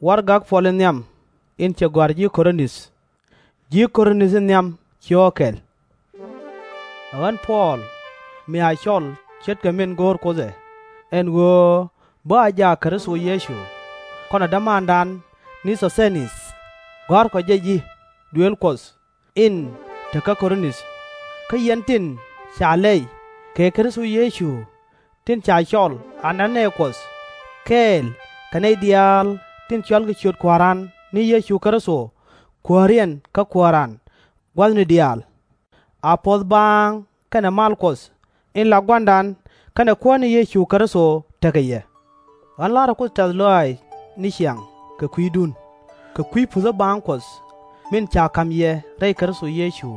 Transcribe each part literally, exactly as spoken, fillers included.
Warɛgak Puɔl in nhiam in cɛ gɔ̱a̱r ji̱ Korinth. Ji̱ Korinth in nhiam ci ɣɔ̱ kɛl. Ɛ ɣän Puɔl, mi a cɔl ce̱tkɛ min go̱o̱r Kuoth ɛ, ɛn ɣöö bä a jak Kritho Yecu, kɔnɛ dämandan ni Thɔthɛn-ith, gɔ̱a̱rkɔ jɛ ji̱ duëël Kuɔth in te kä Korinth, kä yɛn tin ca lɛy kɛ Kritho Yecu, tin ca cɔl a nɛn nɛy Kuɔth, kɛɛl kɛ nɛy diaal tin cɔalkɛ ciöt Kua̱ran ni Yecu Kritho Kuääriɛn kä Kuääran gua̱thni diaal. A puɔ̱th baaŋ kɛnɛ mal Kuɔth in la Gua̱a̱ra kɛnɛ Kuäär ni Yecu Kritho tekɛ yɛ. Ɣän la̱rä Kuoth tɛ̈th lɔaac ni ciaŋ kɛ kui̱dun, kɛ kui̱ puthä baaŋ Kuɔth min ca ka̱m yɛ rɛy Kritho Yecu.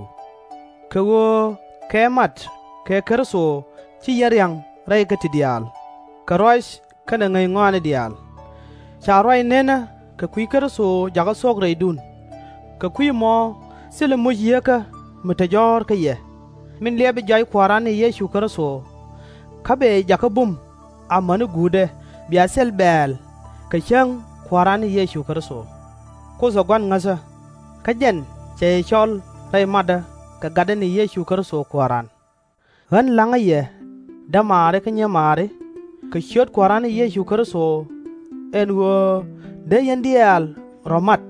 Kɛ ɣöö kɛ mat kɛ Kritho ci yɛn ria̱ŋ rɛy kä ti diaal, kɛ ruac kɛnɛ ŋäc ŋɔaani diaal. Ca ruac nenä kɛ kui̱ Kritho jakä thok rɛydun. Kɛ kui̱ ɛmɔ thilɛ muc Yieekä mi te jɔ̱ɔ̱r kä yɛ, min liɛpɛ jɔac Kua̱ran ni Yecu Kritho, kä bɛ jakä bum amäni guutdɛ bia thil bɛ̈ɛ̈l kɛ cäŋ Kua̱ran ni Yecu Kritho. Kuoth ɛ Gua̱n ŋäthä, kä jɛn cɛ yɛ cɔl rɛy matdä kɛ Gatdä ni Yecu Kritho Kua̱ran. Ɣän la̱ŋä yɛ, dämaari kä nyimaari, kɛ ciöt Kua̱ran ni Yecu Kritho, ɛn ɣöö dee yɛn diaal rɔ̱ mat,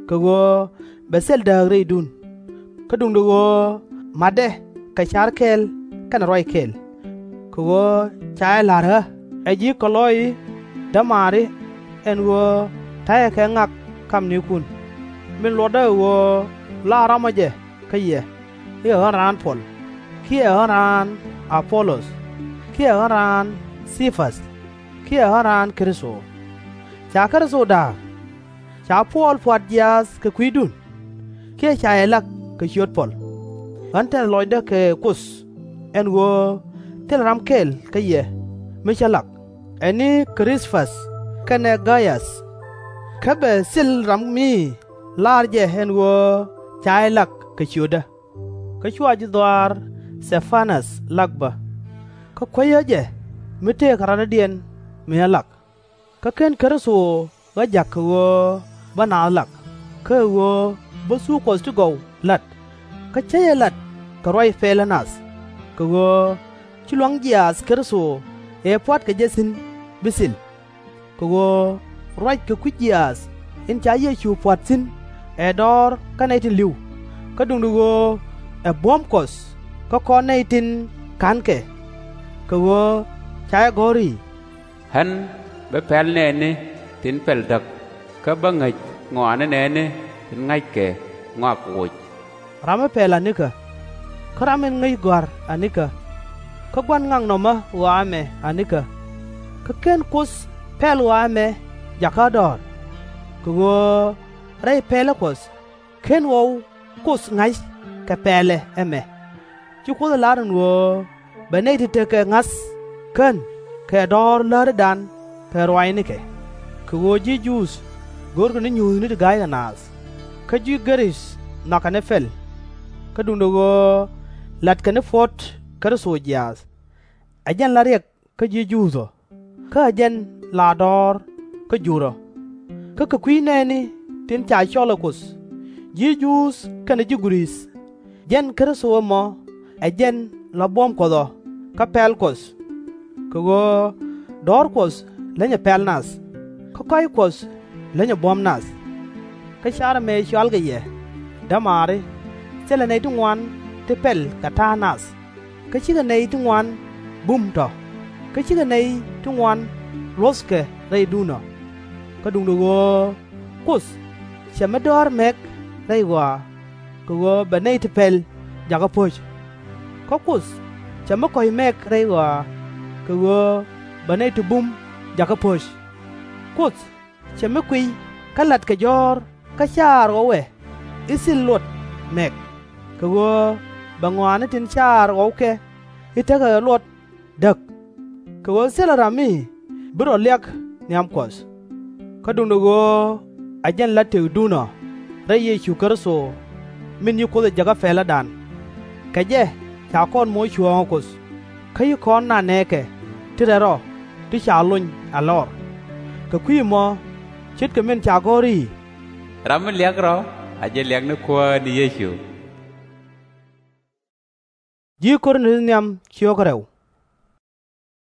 kɛ ɣöö bɛ thil dääk rɛydun. Kä duundɛ ɣöö matdɛ kɛ ca̱r kɛl kɛnɛ ruac kɛl, kɛ ɣöö ca jɛ la̱r ɣä ɛ ji̱ Kɛ-lɔ-i dämaari, ɛn ɣöö ta̱yɛ kɛ ŋak kamnikun, min luɔtdä ɛ ɣöö la rɔ̱mä jɛ kä yɛ, i̱ ɛ ɣän raan Puɔl, kiɛ ɛ ɣän raan A-po-löth, kiɛ ɛ ɣän raan Ci-päth, kiɛ ɛ ɣän raan Kritho. Ca Kritho da̱a̱k? Ca Puɔl pua̱t jiaath kɛ kui̱dun, kiɛ ca yɛ lak kɛ ciöt Puɔl? Ɣän tɛth lɔcdä kɛ Kuoth, ɛn ɣöö thilɛ ram kɛl kä yɛ mi cä lak, ɛ ni Kri-späth kɛnɛ Gay-äth. Kä bɛ thil ram mi laar jɛ ɛn ɣöö ca jɛ lak kɛ ciötdä. Kä /cua ji̱ dhɔaar Thɛ-pa-näth lak bä, kä kuecä jɛ mi tëëkɛ radɔ̱diɛn mi ɣä lak. Kä /ken Kritho ɣä ja̱k kɛ ɣöö bä naath lak, kä ɛ ɣöö bä thuk Kuɔth ti gɔw la̱t. Kä /cä jɛ lat kɛ ruac pɛlä nath, kɛ ɣöö ci lua̱ŋ jiaath Kritho ëë pua̱tkɛ jɛ thi̱n bi thil. Kɛ ɣöö ruac kɛ kui̱ jiaath in ca Yecu pua̱t thi̱n ɛ dɔ̱ɔ̱r kä nɛy tin li̱w, kä duundɛ ɣöö ɛ buɔ̱m Kuɔth kä kɔn nɛy tin ka̱nkɛ. Kɛ ɣöö ca jɛ gɔ̱r i̱, Ɣän bä pɛl nɛɛni tin pɛl däk, kä bä ŋäc ŋɔaani nɛɛni tin ŋa̱ckɛ ŋɔak woc. Ram mi pɛl anikä, kä ram min ŋäc gɔ̱a̱r anikä, kä gua̱n ŋaknɔmä ɣɔaa ɛmɛ anikä. Kä /ken Kuoth pɛl ɣɔaa ɛmɛ jakä ɣä dɔ̱ɔ̱r? Kɛ ɣöö rɛy pɛlä Kuɔth /ken ɣɔw Kuoth ŋa̱c kɛ pɛlɛ ɛmɛ. Ci Kuoth ɛ lar ɛn ɣöö bɛ nɛy ti tekɛ ŋa̱th kän kɛ dɔ̱ɔ̱r lätädan kɛ ruaacnikɛ. Kɛ ɣöö ji̱ Juudh görkɛ ni nyuuthni ti ga̱ykɛ naath, kä ji̱ Gɛ-ric nhɔakɛ ni pɛl. Kä duundɛ ɣöö latkɛ ni puɔ̱t Kritho jiaath. Ɛ jɛn la riɛk kä ji̱ Juudh ɔ, kä ɛ jɛn la dɔ̱ɔ̱r kä Juudh ɔ. Kä kɛ kui̱ nɛɛni tin ca cɔl ɛ Kuoth, ji̱ Juudh kɛnɛ ji̱ Gɛ-ric, jɛn Kritho ɛmɔ ɛ jɛn la buɔ̱m Kuɔth ɔ kä pɛl Kuɔth. Kɛ ɣöö dɔ̱ɔ̱r Kuɔth lenyɛ pɛl nath, kä kɔ̱a̱c Kuɔth lenyɛ buɔ̱m nath. Kä car ɛmɛ cɔalkɛ yɛ, dämaari, thilɛ nɛy ti ŋuan ti pɛl kɛ ta̱a̱ nath, kä /cikɛ nɛy ti ŋuan bum tɔ̱, kä /cikɛ nɛy ti ŋuan luɔ̱thkɛ rɛydun ɔ. Kä duundɛ ɣöö Kuoth /cɛ mi dɔ̱ɔ̱r mɛk rɛy ɣɔaa, kɛ ɣöö bɛ nɛy ti pɛl jakä po̱c. Kä Kuoth /cɛ mi kɔ̱c mɛk rɛy ɣɔaa, kɛ ɣöö bɛ nɛy ti bum jakä po̱c. Kuoth /cɛ mi kuiy kä latkɛ jɔ̱ɔ̱r kä caar ɣɔwɛ i̱ thil luɔt mɛk, kɛ ɣöö bɛ ŋɔaani tin caar ɣɔwkɛ i̱ tekɛ kɛ luɔt däk. Kɛ ɣöö thilɛ ram mi bi rɔ liak nhiam Kuɔth. Kä duundɛ ɣöö ɛ jɛn la tëkdun ɔ rɛy Yecu Kritho, min ci Kuoth ɛ jäkä pɛlädan. Kɛ jɛ ca kɔn moc cuɔ̱ɔ̱ŋ ɛ Kuoth, kä ci kɔn nɛɛkɛ ti rɛl rɔ ti ca lony a lɔr. Kɛ kui̱ ɛmɔ ce̱tkɛ min ca gɔ̱r i̱, Ram mi liak rɔ a jɛ liak ni Kuäär ni Yecu.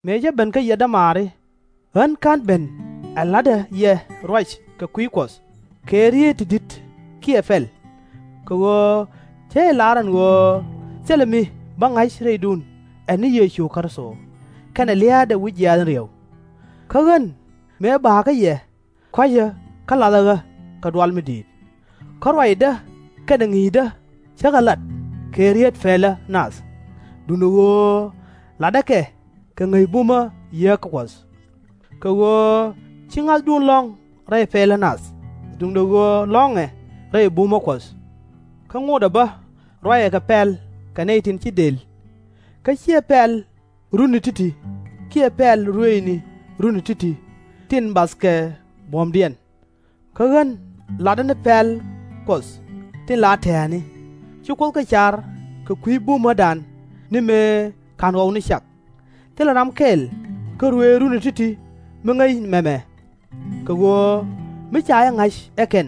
Mëë cä ben kä yɛ dämaari, ɣän /ka̱n ben ɛ la̱tdä yɛ ruac kɛ kui̱ Kuɔth kɛ rieet ti di̱t kiɛ pɛl. Kɛ ɣöö cä jɛ lar ɛn ɣöö thilɛ mi bä ŋa̱c rɛydun ɛ ni Yecu Kritho, kɛnɛ lia̱a̱dɛ wi̱c jiaath in ri̱ew. Kä ɣän mëë ba̱a̱ kä yɛ, kɔ̱a̱cä kä lathä ɣä kɛ dual mi di̱i̱t. Kä ruacdä kɛnɛ ŋi̱i̱cdä cä kɛ lat kɛ rieet pɛlä nath, duundɛ ɣöö latdä kɛ kɛ ŋäc bumä Yieekä Kuɔth. Kɛ ɣöö /ci ŋa̱thdun lɔ̱ŋ rɛy pɛlä nath, duundɛ ɣöö lɔ̱ŋɛ rɛy bumä Kuɔth. Kä ŋotdɛ bä ruacɛ kɛ pɛl kɛ nɛy tin ci dël. Kä /ciɛ pɛl runi ti̱ti̱ kiɛ pɛl ruëëcni runi ti̱ti̱ tin bathkɛ buɔ̱mdiɛn. Kä ɣän latdä ni pɛl Kuɔth tin la tɛ̱̈ɛ̱̈ni, ci Kuoth kɛ car kɛ kui̱ bumädan ni mëë /ka̱n ɣɔw ni cak. Thilɛ ram kɛl kä ruëëc runi ti̱ti̱ mi ŋäc mɛmɛ. Kɛ ɣöö mi ca jɛ ŋa̱c ɛ kɛn,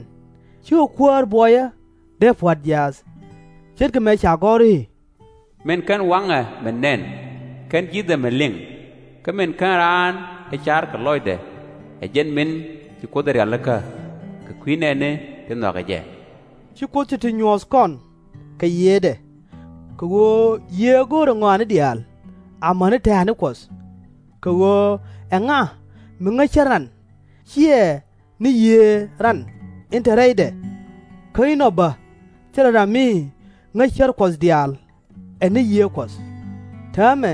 /cikɛ Kuäär buɔyä dee pua̱t jiaath, ce̱tkɛ mëë ca gɔ̱r i̱, Min kän waŋɛ mi nɛn, kän ji̱thɛ mi liŋ, kä min kän raan ɛ car kɛ lɔcdɛ, ɛ jɛn min ci Kuoth ɛ rialikä kɛ kui̱ nɛɛni ti nhɔakɛ jɛ. Ci Kuoth ti̱ti̱ nyuɔ̱th kɔn kɛ Yiëëdɛ. Kɛ ɣöö Yiëë ɛ go̱o̱rɛ ŋɔaani diaal amäni tɛ̱̈ɛ̱̈ni Kuɔth. Kɛ ɣöö ɛŋa mi ŋäc cär ran /ciɛ ni Yiëë ran in te rɛydɛ? Kä inɔ bä thilɛ ram mi ŋäc cär Kuɔth diaal ɛ ni Yiëë Kuɔth. Täämɛ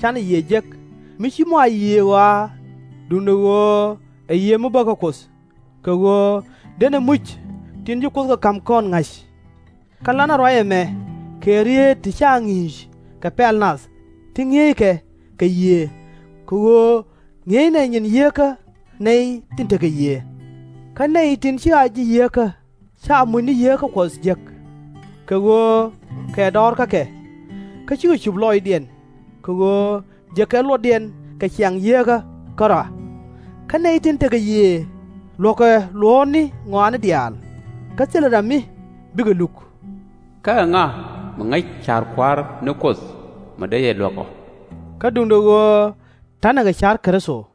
canɛ Yiëë jek, mi /ci mɔ a Yiëë ɣɔaa, duundɛ ɣöö ɛ Yiëë mi bä kä Kuoth, kɛ ɣöö denɛ muc tin ci Kuoth kɛ ka̱m kɔn ŋa̱c. Kä lanɛ ruac ɛmɛ kɛ rieet ti /ca ŋi̱i̱c kɛ pɛl nath ti ŋi̱eeckɛ kɛ Yiëë, kɛ ɣöö ŋi̱eecnɛ nyin Yieekä nɛy tin tekɛ Yiëë. Kä nɛy tin /ci a ji̱ Yieekä /ca muc ni Yieekä Kuɔth jek. Kɛ ɣöö kɛ dɔɔr kä kɛ, kä /cikɛ cup lɔcdiɛn, kɛ ɣöö jekɛ luɔtdiɛn kɛ ciaŋ Yieekä kärɔa. Kä nɛy tin tekɛ Yiëë luɔ̱kɛ luɔ̱ɔ̱tni ŋɔaani diaal, kä thilɛ ram mi bikɛ luk. Kä ɛŋa mi ŋäc ca̱r Kua̱r ni Kuoth mi dee yɛ luäk ɔ? Kä duundɛ ɣöö ta̱nɛ kɛ ca̱r Kritho.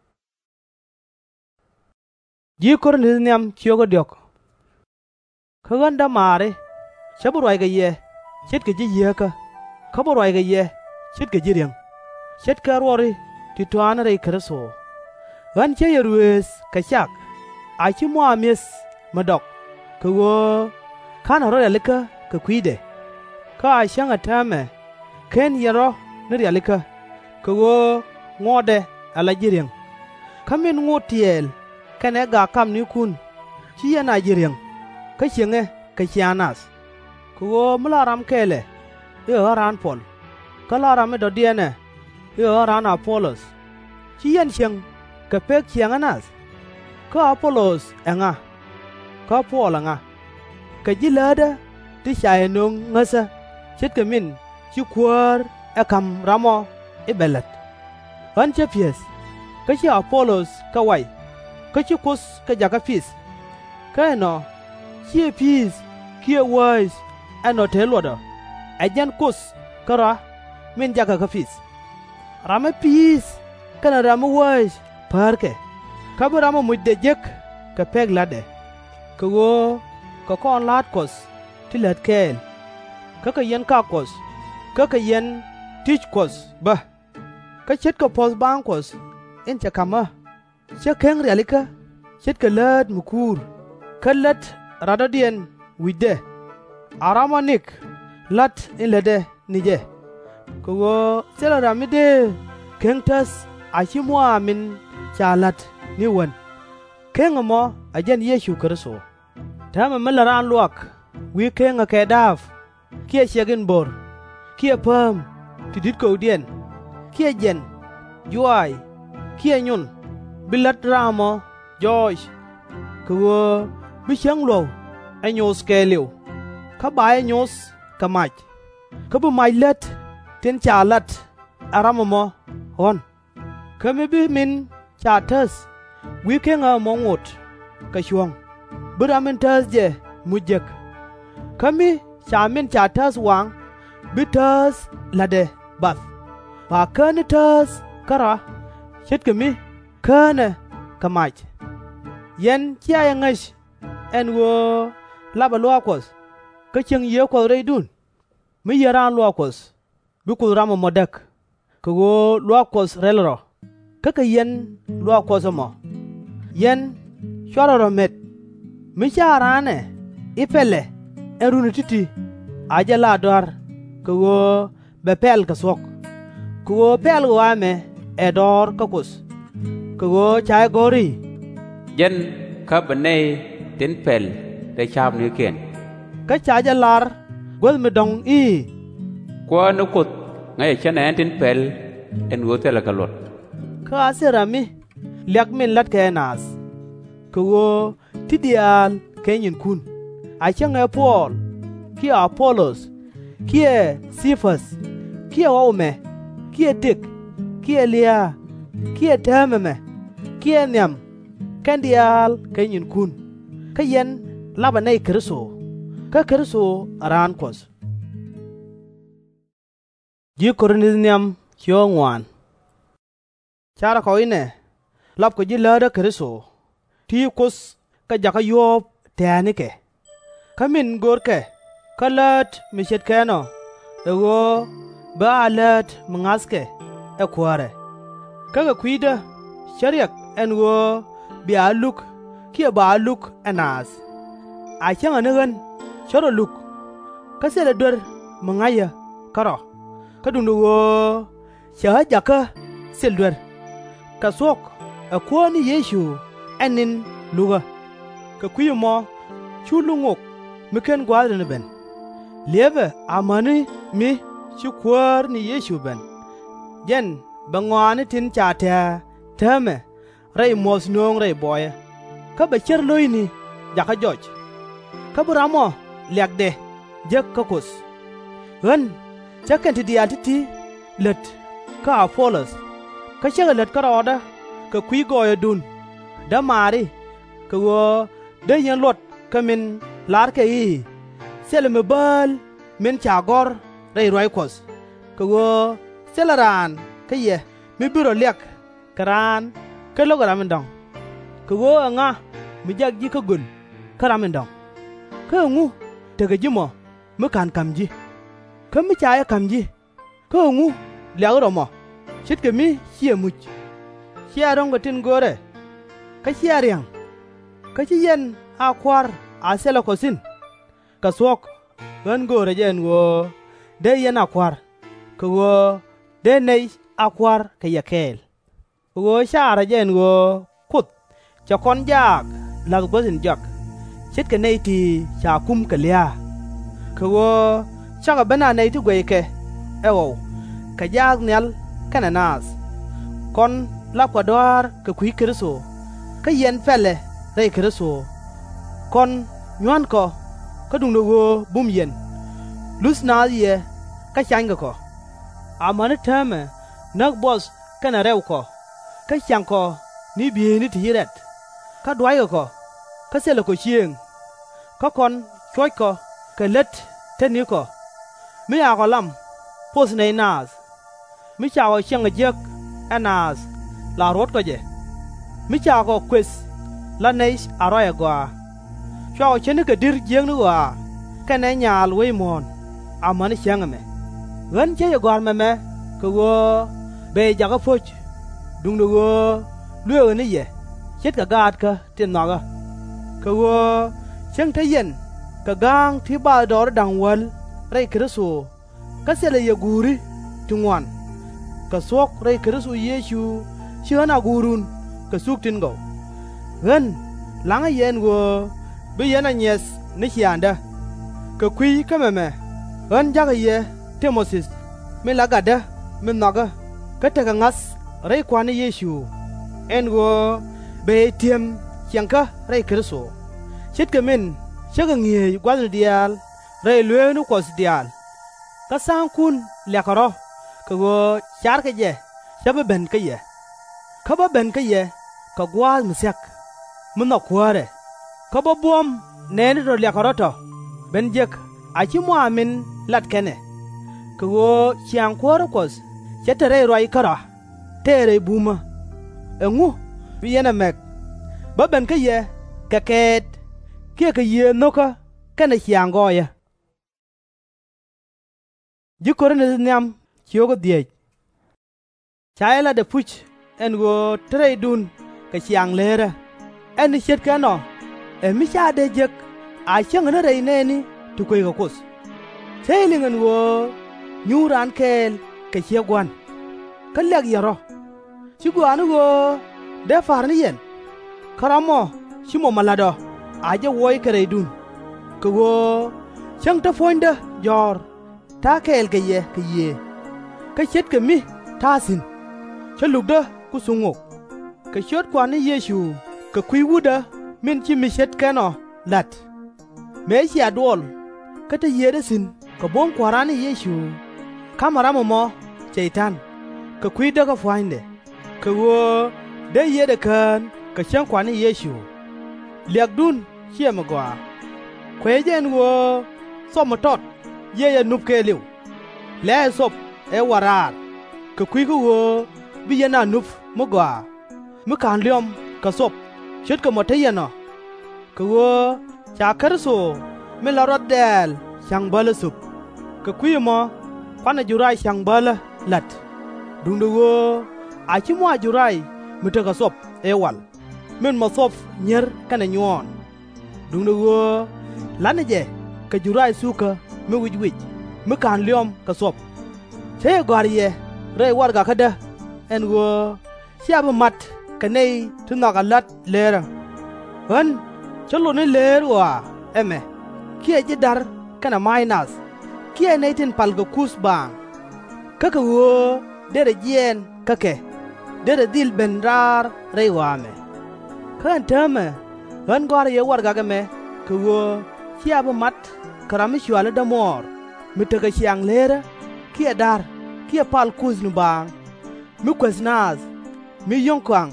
Kä ɣän dämaari, /cä bi ruac kɛ yɛ ce̱tkɛ ji̱ Yieekä, kä bi ruac kɛ yɛ ce̱tkɛ ji̱ riäŋ, ce̱tkɛ ruɔri ti tɔ̱a̱ni rɛy Kritho. Ɣän cä yɛ ruëëth kɛ cak, a /ci mɔ a mi̱eth mi dɔk, kɛ ɣöö /ka̱nɛ rɔ̱ rialikä kɛ kui̱dɛ. Kä a cäŋɛ täämɛ /ken yɛn rɔ̱ ni rialikä, kɛ ɣöö ŋuɔtdɛ ala ji̱ riäŋ. Kä min ŋot tiɛɛl kɛnɛ gak kamnikun, /ci yɛn a ji̱ riäŋ, kä cieŋɛ kɛ ciaaŋ nath. Kɛ ɣöö mi la ram kɛɛl ɛ, i̱ ɛ ɣän raan Puɔl, kä la ram mi dɔ̱diɛn ɛ, i̱ ɛ ɣän raan Apolos. /Ci yɛn cieŋ kɛ pek ciɛɛŋä nath? Kä Apolos ɛŋa? Kä Puɔl ɛŋa? Kɛ ji̱ läätdä ti ca yɛ nöŋ ŋäthä, ce̱tkɛ min ci Kuäär ɛ ka̱m ram ɔ i̱ bɛ lät. Ɣän cä pi̱eth, kä ci Apolos kɛ way, kä ci Kuoth kɛ jakä pi̱th. Kä ɛnɔ, /ciɛ pi̱i̱th kiɛ wäc ɛnɔ te luɔt ɔ, ɛ jɛn Kuoth kärɔa min jakä kä pi̱th. Ram mi pi̱i̱th kɛnɛ ram mi wäc päärkɛ, kä bi ram mi mucdɛ jek kɛ pek la̱tdɛ. Kɛ ɣöö kɛ kɔn la̱a̱t Kuɔth ti lät kɛɛl, kä kɛ yɛn kak Kuɔth, kä kɛ yɛn ti̱c Kuɔth bä. Kä ce̱tkɛ puɔ̱th baaŋ Kuɔth in cɛ ka̱m ɣä, cä keŋ rialikä ce̱tkɛ läät mi kuur, kä lät radɔ̱diɛn wi̱cdɛ. A ram ɔ nik la̱t in lätdɛ ni jɛ. Kɛ ɣöö thilɛ ram mi dëë keŋ täth a /ci mɔ a min ca la̱t ni wän. Keŋ ɛmɔ ɛ jɛn Yecu Kritho. Täämɛ mi lät raan luaak wi̱i̱ keŋɛ kɛ da̱a̱p, kiɛ ciɛk in bo̱r, kiɛ pääm ti di̱t kökdiɛn, kiɛ jiɛn, juaac, kiɛ nyun, bi lät ram ɔ jɔɔc. Kɛ ɣöö bi cäŋ luɔ̱k ɛ nyoth kɛɛliw, kä ba jɛ nyoth kɛ mac, kä bi mac lät tin ca lat ɛ ram ɛmɔ ɣɔ̱n. Kä mi bi min ca täth wi̱i̱ keŋɛ ɛmɔ ŋot, kɛ cuɔ̱ŋ, bi ram in tääth jɛ muc jek. Kä mi ca min ca tääth waŋ, bi tääth la̱tdɛ bath, ba kääni tääth kärɔa, ce̱tkɛ mi kään ɛ kɛ mac. Yɛn cia jɛ ŋäc ɛn ɣöö lapɛ luaak Kuɔth, kä cieŋ Yiëë Kuɔth rɛydun? Mi yɛn raan luaak Kuɔth, bi Kuoth ram ɛmɔ däk, kɛ ɣöö luaak Kuɔth rɛl rɔ, kä kɛ yɛn luaak Kuɔth ɛmɔ. Yɛn /cuarɛ rɔ met. Mi /ca raan ɛ i̱ pɛlɛ ɛn runi ti̱ti̱, a jɛ la dɔ̱a̱r kɛ ɣöö bɛ pɛl kɛ thuɔ̱k. Kɛ ɣöö pɛl ɣɔaa ɛmɛ ɛ dɔ̱ɔ̱r kä Kuoth. Kɛ ɣöö ca jɛ gɔ̱r i̱, Jɛn kä bɛ nɛy tin pɛl rɛy ca̱a̱pnikiɛn. Kä ca jɛ lar guäth mi dɔ̱ŋ i̱, Kuäär ni Kuoth ŋäcɛ cä nɛɛni tin pɛl ɛn ɣöö thilɛ kɛ luɔt. Kä a thil ram mi liak min la̱tkɛ ɛ naath. Kɛ ɣöö ti diaal kɛ nyinkun, a cäŋɛ Puɔl, kiɛ A-po-los, kiɛ Thi-päth, kiɛ ɣɔw ɛmɛ, kiɛ tëk, kiɛ lia̱a̱, kiɛ täämɛ ɛmɛ, kiɛ nhiam, kɛn diaal kɛ nyinkun. Kä yɛn lapɛ nɛy Kritho, kä Kritho ɛ raan Kuɔth. Carɛ kɔ inɛ lapkɔ ji̱ läät kä Kritho, ti Kuoth kɛ jakä yuɔ̱ɔ̱p tɛ̱̈ɛ̱̈nikɛ. Kä min görkɛ kä läät mi ce̱tkɛ ɛnɔ ɛ ɣöö bɛ a läät mi ŋa̱thkɛ ɛ Kuäärɛ. Kä kɛ kui̱dä cä riɛk ɛn ɣöö bia luk kiɛ ba luk ɛ naath. A cäŋɛ ni ɣän cä rɔ luk, kä thilɛ duer mi ŋa̱cä kärɔ̱, kä duundɛ ɣöö cɛ ɣä jakä thil duer. Kɛ thuɔ̱k ɛ Kuäär ni Yecu ɛ ni̱n lukä. Kɛ kui̱ ɛmɔ cu luk ŋok mi /ken gua̱a̱th ri̱n ɛ ben. Liepɛ amäni mi ci Kuäär ni Yecu ben. Jɛn bɛ ŋɔaani tin ca tɛ̱̈ɛ̱̈ täämɛ rɛy muɔ̱th nöŋ rɛy buɔyä, kä bɛ cär lo̱cni jakä jɔc. Kä bi ram ɔ liakdɛ jek kä Kuoth. Ɣän cä kɛn ti diaal ti̱ti̱ lät kä A-po-los, kä cä kɛ lät kärɔɔdä kɛ kui̱ gɔɔyädun, dämaari, kɛ ɣöö dee yɛn luɔt kä min larkɛ i̱, Thilɛ mi bääl min ca gɔ̱r rɛy ruac Kuɔth, kɛ ɣöö thilɛ raan kä yɛ mi bi rɔ liak kɛ raan kä lo̱kɛ ram in dɔ̱ŋ. Kɛ ɣöö ɛŋa mi jak ji̱ kä göl kä ram in dɔ̱ŋ? Kä ɛŋu tekɛ ji̱ mɔ mi /ka̱n ka̱m ji̱? Kä mi ca jɛ ka̱m ji̱, kä ɛŋu liakɛ rɔ mɔ, ce̱tkɛ mi /ciɛ muc? /Cia ro̱ŋ kɛ tin görɛ, kä /cia ria̱ŋ, kä /ci yɛn a kua̱r a thilɛ kɔ thi̱n? Kɛ thuɔ̱k ɣän göörä jɛ ɛn ɣöö dee yɛn a kua̱r, kɛ ɣöö dee nɛy a kua̱r kɛ yɛ kɛɛl. Kɛ ɣöö caarä jɛ ɛn ɣöö Kuoth cɛ kɔn jaak la̱th guäth in jɔak, ce̱tkɛ nɛy ti ca kum kɛ lia̱a̱. Kɛ ɣöö cakɔ ben a nɛy ti guɛckɛ ɛ ɣɔw kɛ jaak nhial kɛnɛ naath. Kɔn lapkɔ dɔ̱a̱r kɛ kui̱ Kritho, kä yɛn pɛlɛ rɛy Kritho. Kɔn nyua̱nkɔ, kä duundɛ ɣöö bum yɛn. Luth naath yɛ, kä canykɛ kɔ. Amäni täämɛ näk buɔth kɛnɛ rɛwkɔ, kä ciaŋkɔ ni bieyni ti ci rɛt, kä duackɛ kɔ, kä thilɛ kɔ ciëëŋ. Kä kɔn cuɔckɔ kɛ lät tetnikɔ, mi cakɔ lam poth nɛy naath, mi cakɔ ciɛŋ jiäk ɛ naath la ruɔ̱tkɔ jɛ, mi cakɔ kuëth la nɛy a ruac agɔaa. Cuakɔ ce̱tnikɛ di̱r jiäkni ɣɔaa kɛnɛ nyaal wec muɔ̱ɔ̱n amäni cäŋ ɛmɛ. Ɣän cä jɛ gɔ̱a̱r mɛmɛ kɛ ɣöö bɛ yɛ jakä po̱c, duundɛ ɣöö luëëkɛ ni yɛ ce̱tkɛ gaatkä tin nhɔakä. Kɛ ɣöö cäŋ te yɛn kɛ ga̱a̱ŋ ti bathdɔɔri da̱ŋ wäl rɛy Kritho, kä thilɛ yɛ guuri ti ŋuan. Kɛ thuɔ̱k rɛy Kritho Yecu ci ɣän a guurun kɛ thuk tin gɔw. Ɣän la̱ŋä yɛ ɛn ɣöö bi yɛn a nyiɛth ni ciaaŋdä. Kɛ kui̱ kä mɛmɛ ɣän ja̱kä yɛ Ti-mo-thi, min la gatdä min nhɔakä kä tekɛ ŋa̱th rɛy Kua̱r ni Yecu, ɛn ɣöö bɛ yɛ ti̱em ciɛŋkä rɛy Kritho, ce̱tkɛ min cä kɛ ŋi̱eec gua̱thni diaal rɛy lueeni Kuɔth diaal. Kä tha̱a̱ŋkun liakɛ rɔ̱ kɛ ɣöö carkɛ jɛ cä bi ben kä yɛ. Kä bä ben kä yɛ kɛ gua̱a̱th mi thia̱k. mi nhɔk Kuäärɛ, kä bä buɔ̱m nɛɛni tɔ̱ liakɛ rɔ̱ tɔ̱ ben jek a /ci mɔ a min lat kɛn ɛ. Kɛ ɣöö ciaŋ Kuäärä Kuɔth /cɛ te rɛy ruac kärɔa, tëë rɛy bumä. Ɛŋu bi yɛn ɛ mɛk? Bä ben kä yɛ kɛ kɛɛt kiɛ kɛ yiëë nho̱kä kɛnɛ ciaŋ gɔɔyä. Ca yɛ lat ɛpuc ɛn ɣöö te rɛydun kɛ ciaŋ leerä, ɛn ni ce̱tkɛ ɛnɔ ɛ mi /ca dee jek a cäŋɛ ni rɛy nɛɛni ti kueckɛ Kuoth. Cä yɛ liŋ ɛn ɣöö nyuur raan kɛɛl kɛ ciek Gua̱n. Kä liak yɛ rɔ̱, /ci gɔaa ni ɣöö dee pa̱r ni yɛn? Kä ramɔ /ci mom ɛ la̱t ɔ a jɛ wuɔc kɛ rɛydun, kɛ ɣöö cäŋ te puɔ̱nydä jɔ̱ɔ̱r ta̱a̱ kɛɛl kɛ yɛ kɛ yiëë, kä ce̱tkɛ mi ta̱a̱ thi̱n, cä lukdä ku thuŋ ŋok. Kɛ ciöt Kua̱r ni Yecu kɛ kui̱ Wutdä min ci mi ce̱tkɛ ɛnɔ la̱t, mëë cia duɔl kä te yiëëdä thi̱n kɛ buɔ̱m Kua̱ran ni Yecu, ka̱mɛ ram ɛmɔ Cɛy-tan kɛ kui̱ däkä pua̱nydɛ, kɛ ɣöö dee yiëëdɛ kään kɛ cäŋ Kua̱r ni Yecu. Liakdun /ciɛ mi gɔaa. Kuecä jɛ ɛn ɣöö thop mi tɔt yiëë yɛ nup kɛɛliw. Lɛ̱̈ɛ̱̈ thop ɛ wal raar kɛ kui̱ kä ɣöö bi yɛn a nup mi gɔaa, mi /ka̱n liɔm kɛ thop ce̱tkɛ mɔ te yɛn ɔ. Kɛ ɣöö ca Kritho min la ruath dɛ̈ɛ̈l ca̱ŋ bälä thöp, kɛ kui̱ ɛmɔ kuanɛ jur rac ca̱ŋ bälä la̱t. Duundɛ ɣöö a /ci mɔ a jur rac mi tekɛ thop ëë wal, min mɔ thop nyier kɛnɛ nyuɔɔn. Duundɛ ɣöö la̱tnɛ jɛ kɛ jur rac thukä mi wic wic, mi /ka̱n liɔm kɛ thop. Cä yɛ gɔ̱a̱r yɛ rɛy warɛgakädä ɛn ɣöö /cia bi mat kɛ nɛy ti nhɔakɛ la̱t leerä. Ɣän cä lot ni leer ɣɔaa ɛmɛ, kiɛ ji̱ da̱r kɛnɛ ma̱a̱c nath, kiɛ nɛy tin palkɛ kuth baaŋ. Kä kɛ ɣöö derɛ jiɛɛn kä kɛ, derɛ dhil ben raar rɛy ɣɔaa ɛmɛ. Kä ɛn täämɛ ɣän gɔ̱a̱rä yɛ warɛgak ɛmɛ kɛ ɣöö /cia bi mat kɛ ram mi cɔali dämuɔɔr, mi tekɛ ciaŋ leerä, kiɛ da̱r, kiɛ pal kuthni baaŋ, mi kueth naath, mi yio̱ŋ kɔaŋ,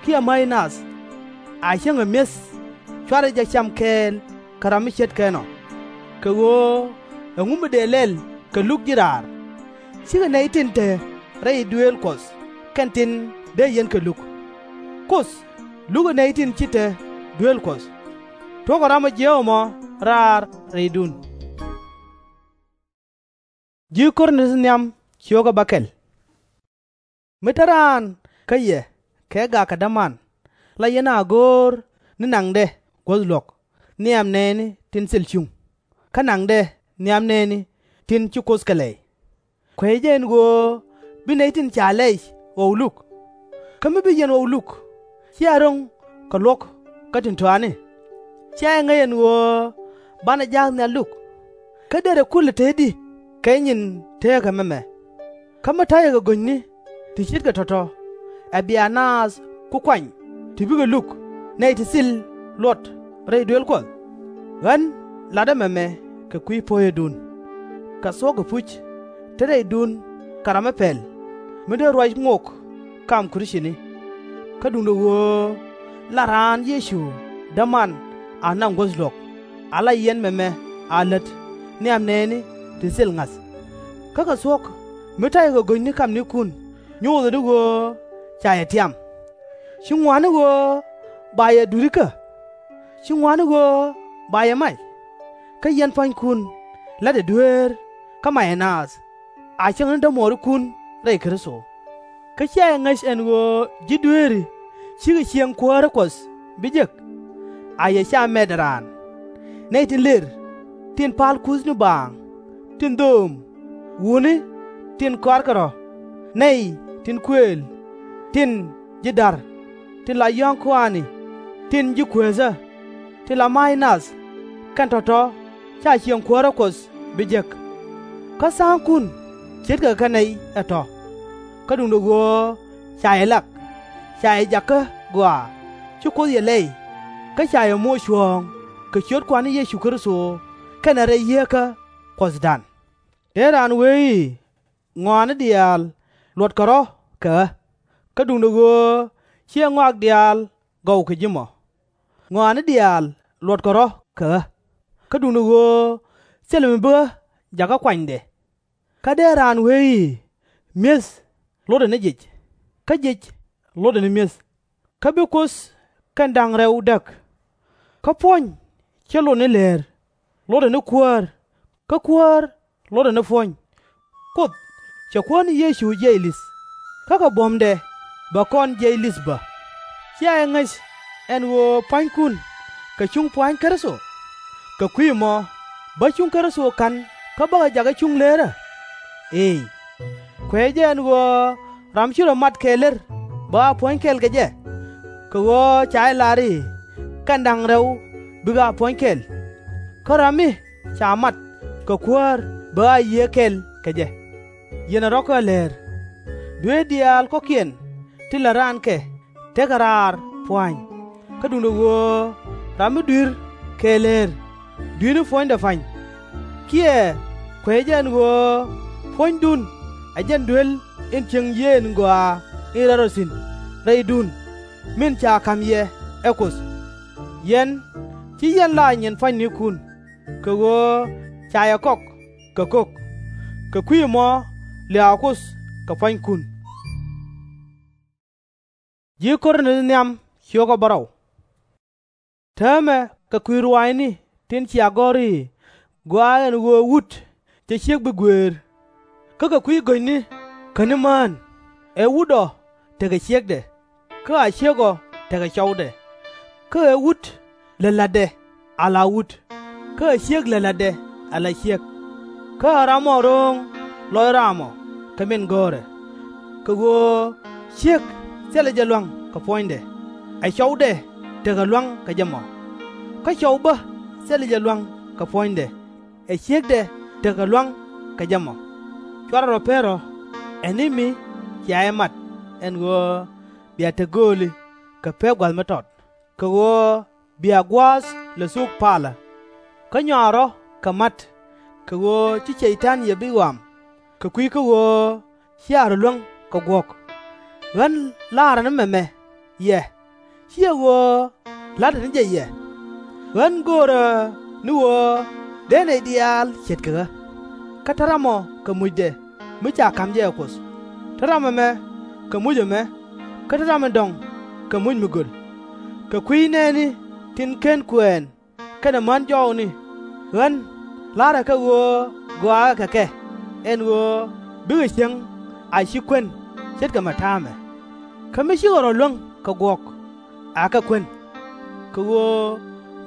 kiɛ mäc nath, a cäŋɛ mi̱eth, /cuarɛ jɛ cam kɛɛl kɛ ram mi ce̱tkɛ ɛnɔ. Kɛ ɣöö ɛŋu mi dëë lɛl kɛ luk ji̱ raar? /Cikɛ nɛy tin te rɛy duëël Kuɔth kɛn tin dee yɛn kɛ luk. Kuoth lukɛ nɛy tin ci te duel Kuɔth. Tuɔ̱kɛ ram ɔ jiääk ɛmɔ raar rɛydun. Mi te raan kä yɛ kɛ gak kɛ däman, la yɛn a go̱o̱r ni naŋdɛ guäth luɔ̱k nhiam nɛɛni tin thil cuŋ, kä naŋdɛ nhiam nɛɛni tin ci Kuoth kɛ lɛy. Kuecä jɛ ɛn ɣöö bi nɛy tin ca lɛy ɣɔw luk. Kä mi bi yɛn ɣɔw luk, /cia ro̱ŋ kɛ luɔ̱k kä tin tɔ̱a̱ni. Cia jɛ ŋäc ɛn ɣöö banɛ ja̱a̱k nhial luk, kä derɛ kulɛ te i̱di kɛ nyin teekä mɛmɛ. Kä mi ta̱yɛ kɛ go̱nyni ti ce̱tkɛ tɔ̱tɔ̱, ɛ bia naath ku kuany ti bikɛ luk nɛy ti thil luɔt rɛy duel Kuɔth? Ɣän latdä mɛmɛ kɛ kui̱ puɔ̱nyädun. Kɛ thuɔ̱k ɛpuc, te rɛydun kɛ ram mi pɛl, mi dee ruac ŋok kam Krithini. Kä duundɛ ɣöö la raan Yecu däman a naŋ guäth luɔ̱k, ala yɛn mɛmɛ a lät nhiam nɛɛni ti thil ŋa̱th. Kä kɛ thuɔ̱k, mi ta̱yɛ kɛ go̱nyni kamnikun, nyothɛ ni ɣöö ca yɛ tiam. /Ci ŋɔaani ɣöö ba yɛ duri kä? /Ci ŋɔaani ɣöö ba yɛ mac? Kä yɛn pua̱nykun, la̱tdɛ dueer kä macɛ naath, a cäŋ ni dämuɔɔrikun rɛy Kritho. Kä cia jɛ ŋäc ɛn ɣöö ji̱ dueeri /cikɛ ciëŋ kuäärä Kuɔth bi jek. A yɛ ca mɛt ɛ raan, nɛy tin lër, tin pal kuthni baaŋ, tin dho̱o̱m, wutni, tin kɔarkɛ rɔ̱, nɛy tin kuëël, tin ji̱ da̱r, tin la yɔ̱ɔ̱ŋ kɔaani, tin ji̱ kueethä, tin la ma̱a̱c nath, kɛn tɔ̱tɔ̱ /ca ciëŋ kuäärä Kuɔth bi jek. Kä tha̱a̱ŋkun ce̱tkɛ kɛ nɛy ɛ tɔ̱. Kä duundɛ ɣöö ca yɛ lak, ca yɛ jakä gɔaa, ci Kuoth yɛ lɛy, kä ca yɛ moc cuɔ̱ɔ̱ŋ kɛ ciöt Kua̱r ni Yecu Kritho kɛnɛ rɛy yieekä Kuɔthdan. Dee raan wee i̱, Ŋɔaani diaal luɔtkɛ rɔ̱ kɛ ɣä. Kä duundɛ ɣöö /ciɛ ŋɔak diaal gɔw kɛ ji̱ mɔ. ŋɔaani diaal luɔtkɛ rɔ̱ kɛ ɣä, kä duundɛ ɣöö thilɛ mi bi ɣä jakä kuanydɛ. Kä dee raan wee i̱, Mi̱eth lotdɛ ni jic, kä jic lotdɛ ni mi̱eth, kä bi Kuoth kɛn da̱ŋ rɛw däk. Kä puɔ̱ny /cɛ lot ni leer, lotdɛ ni Kuäär, kä Kuäär lotdɛ ni puɔ̱ny. Kuoth cɛ Kuäär ni Yecu jiɛc li̱th, kä kɛ buɔ̱mdɛ bɛ kɔn jiɛc li̱th bä. /Cia jɛ ŋäc ɛn ɣöö pua̱nykun kɛ cuŋ pua̱ny Kritho? Kɛ kui̱ ɛmɔ bä cuŋ Kritho ka̱n kä bäkɛ jakä cuŋ leerä? Eey, kuɛcɛ jɛ ɛn ɣöö ram /ci rɔ mat kɛɛl lär bɛ a puɔ̱ny kɛl kɛ jɛ. Kɛ ɣöö ca jɛ lar i̱, Kɛn da̱ŋ rɛw bikɛ a puɔ̱ny kɛl. Kä ram mi ca mat kɛ Kuäär bɛ a yiëë kɛl kɛ jɛ. Yɛn ɛ rɔ̱ kä läär, dueer diaal kɔ̱kiɛn tin la raan kɛ tekɛ raar pua̱a̱ny, kä duundɛ ɣöö ram mi dui̱r kɛɛl leer dui̱r ni puɔ̱nydɛ pa̱ny. Kiɛ kuɛcɛ jɛ ɛn ɣöö puɔ̱nydun ɛ jɛn duel in cieŋ yiëë in gɔaa in rɛl rɔ thi̱n rɛydun, min ca ka̱m yɛ ɛ Kuoth. Yɛn /ci yɛn la nyin pua̱nynikun, kɛ ɣöö ca yɛ kɔk kɛ ko̱k. Kɛ kui̱ ɛmɔ liaakɔ Kuoth kɛ pua̱nykun. Täämɛ kɛ kui̱ ruaacni tin cia gɔ̱r i̱, Gɔaa ɛn ɣöö wut /cɛ ciek bi guëër. Kä kɛ kui̱ go̱cni kä ni mään, ɛ wut ɔ tekɛ ciekdɛ, kä a ciek ɔ tekɛ cɔwdɛ. Kä ɛ wut lät la̱tdɛ ala wut, kä ɛ ciek lät la̱tdɛ ala ciek. Kä ɛ ram ɔ ro̱o̱ŋ lɔc raam ɔ kɛ min gɔ̱rɛ. Kɛ ɣöö ciek thilɛ jɛ lua̱ŋ kɛ puɔ̱nydɛ, ɛ cɔwdɛ tekɛ lua̱ŋ kɛ jɛ mɔ. Kä cɔw bä thilɛ jɛ lua̱ŋ kɛ puɔ̱nydɛ, ɛ ciekdɛ tekɛ lua̱ŋ kɛ jɛ mɔ. /Cuarɛ rɔ per rɔ̱ ɛ ni mi cia jɛ mat, ɛn ɣöö bia te gööli kɛ pek gua̱th mi tɔt, kɛ ɣöö bia gua̱a̱th lɛ thuk palä. Kä nyɔaa rɔ̱ kɛ ma̱t, kɛ ɣöö ci Cɛy-tan yɛ bi ɣɔam, kɛ kui̱ kä ɣöö cia rɔ luäŋ kɛ guɔ̱k. Ɣän la̱rä ni mɛmɛ yɛ, /ciɛ ɣöö la̱tdä ni jɛ yɛ. Ɣän göörä ni ɣöö dee nɛy diaal ce̱tkɛ ɣä. Kä te ram ɔ kɛ mucdɛ mi ca ka̱m jɛ ɛ Kuoth, te ram ɛmɛ kɛ muc ɛmɛ, kä te ram in dɔ̱ŋ kɛ muc mi göl. Kɛ kui̱ nɛɛni tin /ken kuɛɛn kɛnɛ män jɔɔkni, ɣän la̱rä kɛ ɣöö gɔaakä kɛ kɛ, ɛn ɣöö bikɛ cieŋ a /ci kuän ce̱tkɛ mɛ ta̱a̱mɛ. Kä mi cikɛ rɔ luäŋ kɛ guɔ̱k, akɛ kuän. Kɛ ɣöö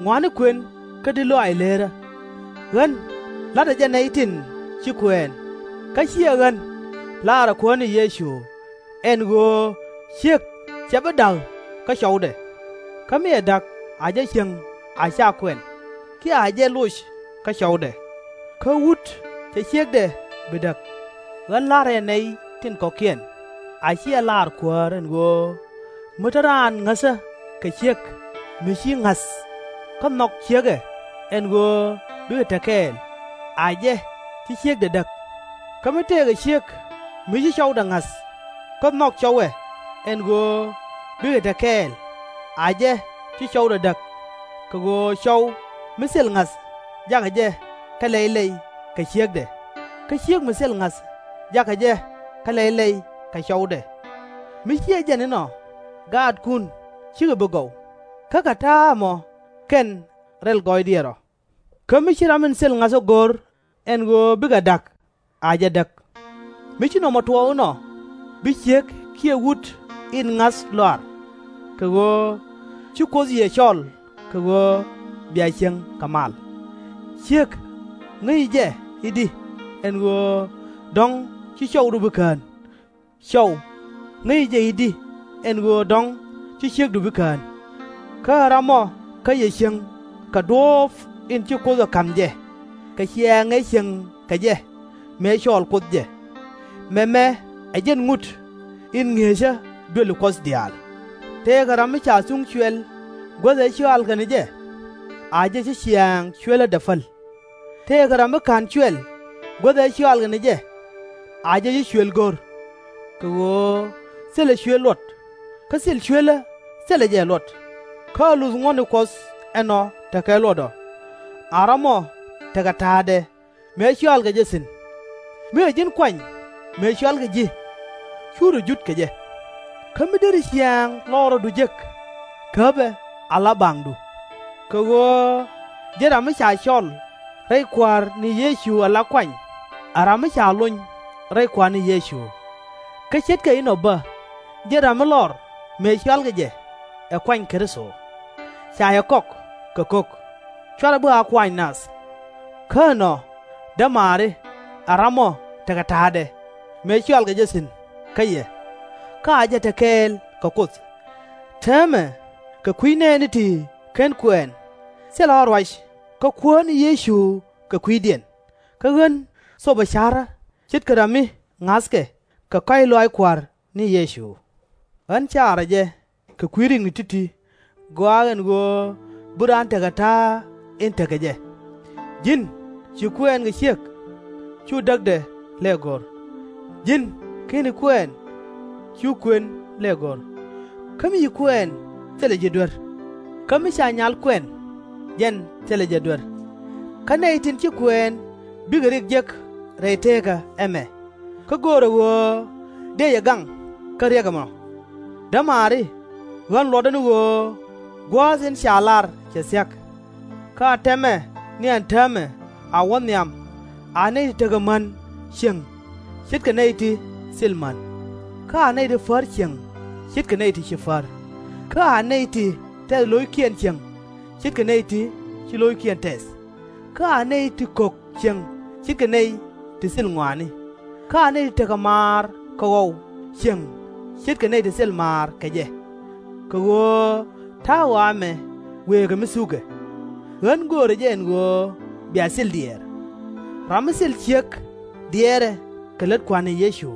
ŋɔaani kuën kä di̱t lɔaac leerä. Ɣän la̱tdä jɛ nɛy tin ci kuɛɛn, kä /ciɛ ɣän, laarä Kuäär ni Yecu, ɛn ɣöö ciek /cɛ bi da̱k kä cɔwdɛ. Kä mi ɛ da̱k a jɛ cieŋ a /ca kuɛn, kiɛ a jɛ loc kä cɔwdɛ. Kä wut /cɛ ciekdɛ bi däk. Ɣän la̱rä jɛ nɛy tin kɔ̱kiɛn, a /ciɛ laar Kuäär, ɛn ɣöö mi te raan ŋäthä kɛ ciek mi ci ŋa̱th, kä nhɔk ciekɛ ɛn ɣöö bikɛ te kɛɛl, a jɛ ci ciekdɛ däk. Kä mi tëëkɛ ciek mi ci cɔwdɛ ŋa̱th, kä nhɔk cɔwɛ ɛn ɣöö bikɛ te kɛɛl, a jɛ ci cɔwdɛ däk. Kɛ ɣöö cɔw mi thil ŋa̱th jakɛ jɛ kä lɛy lɛy kɛ ciekdɛ, kä ciek mi thil ŋa̱th jakɛ jɛ kä lɛy lɛy kɛ cɔwdɛ. Mi /ciɛ jɛn inɔ, gaatkun cikɛ bi gɔw, kä kɛ ta̱a̱ ɛmɔ kɛn rɛl gɔɔydiɛn rɔ. Kä mi ci ram in thil ŋa̱th ɛ go̱r ɛn ɣöö bikɛ da̱k, a jɛ däk. Mi ci nɔmɔ tuɔɔk inɔ, bi ciek kiɛ wut in ŋa̱th lɔaar. Kɛ ɣöö ci Kuoth yɛ cɔl kɛ ɣöö bia cieŋ kɛ mal. Ciek ŋäci jɛ i̱di ɛn ɣöö dɔ̱ŋ ci cɔwdu bi kään? Cɔw ŋäci jɛ i̱di ɛn ɣöö dɔ̱ŋ ci ciekdu bi kään? Kä ɛ ram ɔ kä yɛ cieŋ kɛ duɔ̱ɔ̱p in ci Kuoth ɛ ka̱m jɛ, kɛ ciɛɛŋ ëë cieŋ kɛ jɛ mëë cɔɔl Kuoth jɛ. Mɛmɛ ɛ jɛn ŋut in ŋi̱eecä duëli Kuɔth diaal. Tëëkɛ ram mi ca thuŋ cuɛl guäth ëë cɔalkɛ ni jɛ, a jɛ ci ciɛɛŋ cuɛlädɛ päl. Tëëkɛ ram mi /ka̱n cuɛl guäth ëë cɔalkɛ ni jɛ, a jɛ ci cuël go̱r. Kɛ ɣöö thilɛ cuël luɔt, kä thil cuelä thilɛ jɛ luɔt. Kä a luth ŋuɔ̱tni Kuɔth ɛnɔ tekɛ luɔt ɔ, a ramɔ tekɛ ta̱a̱dɛ mëë cɔalkɛ jɛ thi̱n. Mi ɛ ji̱n kuany mëë cɔalkɛ ji̱, /cu rɔ jut kɛ jɛ. Kä mi deri ciaŋ lɔrɔdu jek, käpɛ ala baŋdu. Kɛ ɣöö jɛn ram mi ca cɔl rɛy Kua̱r ni Yecu ala kuany, ɛ ram mi ca lony rɛy Kua̱r ni Yecu. Kä ce̱tkɛ inɔ bä, jɛn ram mi lɔr mëë cɔalkɛ jɛ ɛ kuany Kritho. Ca yɛ kɔk kɛ ko̱k, /cuarɛ bi a kuaany nath. Kä ɛnɔ, dämaari, ɛ ramɔ tekɛ ta̱a̱dɛ mëë cɔalkɛ jɛ thi̱n kä yɛ, kä a jɛ te kɛɛl kɛ Kuoth. Täämɛ kɛ kui̱ nɛɛni ti /ken kuɛɛn, thilɛ ɣä ruac kä Kuäär ni Yecu kɛ kui̱diɛn. Kä ɣän thopɛ ca̱rä ce̱tkɛ ram mi ŋa̱thkɛ kɛ kɔ̱a̱c lɔaac Kua̱r ni Yecu. Ɣän caarä jɛ kɛ kui̱ rikni ti̱ti̱, gɔaa ɛn ɣöö bi raan tekɛ ta̱a̱ in tekɛ jɛ. Ji̱n ci kuɛɛn kɛ ciek, /cu däkdɛ lɛk go̱r. Ji̱n /keni kuɛɛn, /cu kuën lɛk go̱r. Kä mi ci kuɛɛn, thilɛ ji̱ duer. Kä mi ca nyal kuɛn, jɛn thilɛ jɛ duer. Kä nɛy tin ci kuɛɛn bikɛ rik jek rɛy teekä ɛmɛ, kä göörä ɣöö dëë jɛ gaŋ kä riɛk ɛmɔ. Dämaari, ɣän luɔtdä ni ɣöö gua̱a̱th in ca lar cɛ thia̱k. Kä a tɛmɛ ni ɛn täämɛ a wä nhiam, a nɛy ti tekɛ män cieŋ ce̱tkɛ nɛy ti thil män, kä a nɛy ti pär cieŋ ce̱tkɛ nɛy ti ci pär, kä a nɛy ti tɛth lo̱ckiɛn cieŋ ce̱tkɛ nɛy ti ci lo̱ckiɛn tɛth, kä a nɛy ti kök cieŋ ce̱tkɛ nɛy ti thil ŋɔaani, kä a nɛy ti tekɛ maar kɛ ɣɔw cieŋ ce̱tkɛ nɛy ti thil maar kɛ jɛ. Kɛ ɣöö ta̱a̱ ɣɔaa ɛmɛ wëë kɛ mi thukɛ. Ɣän göörä jɛ ɛn ɣöö bia thil diɛɛr. Ram mi thil ciek diɛɛrɛ kɛ lät Kua̱r ni Yecu,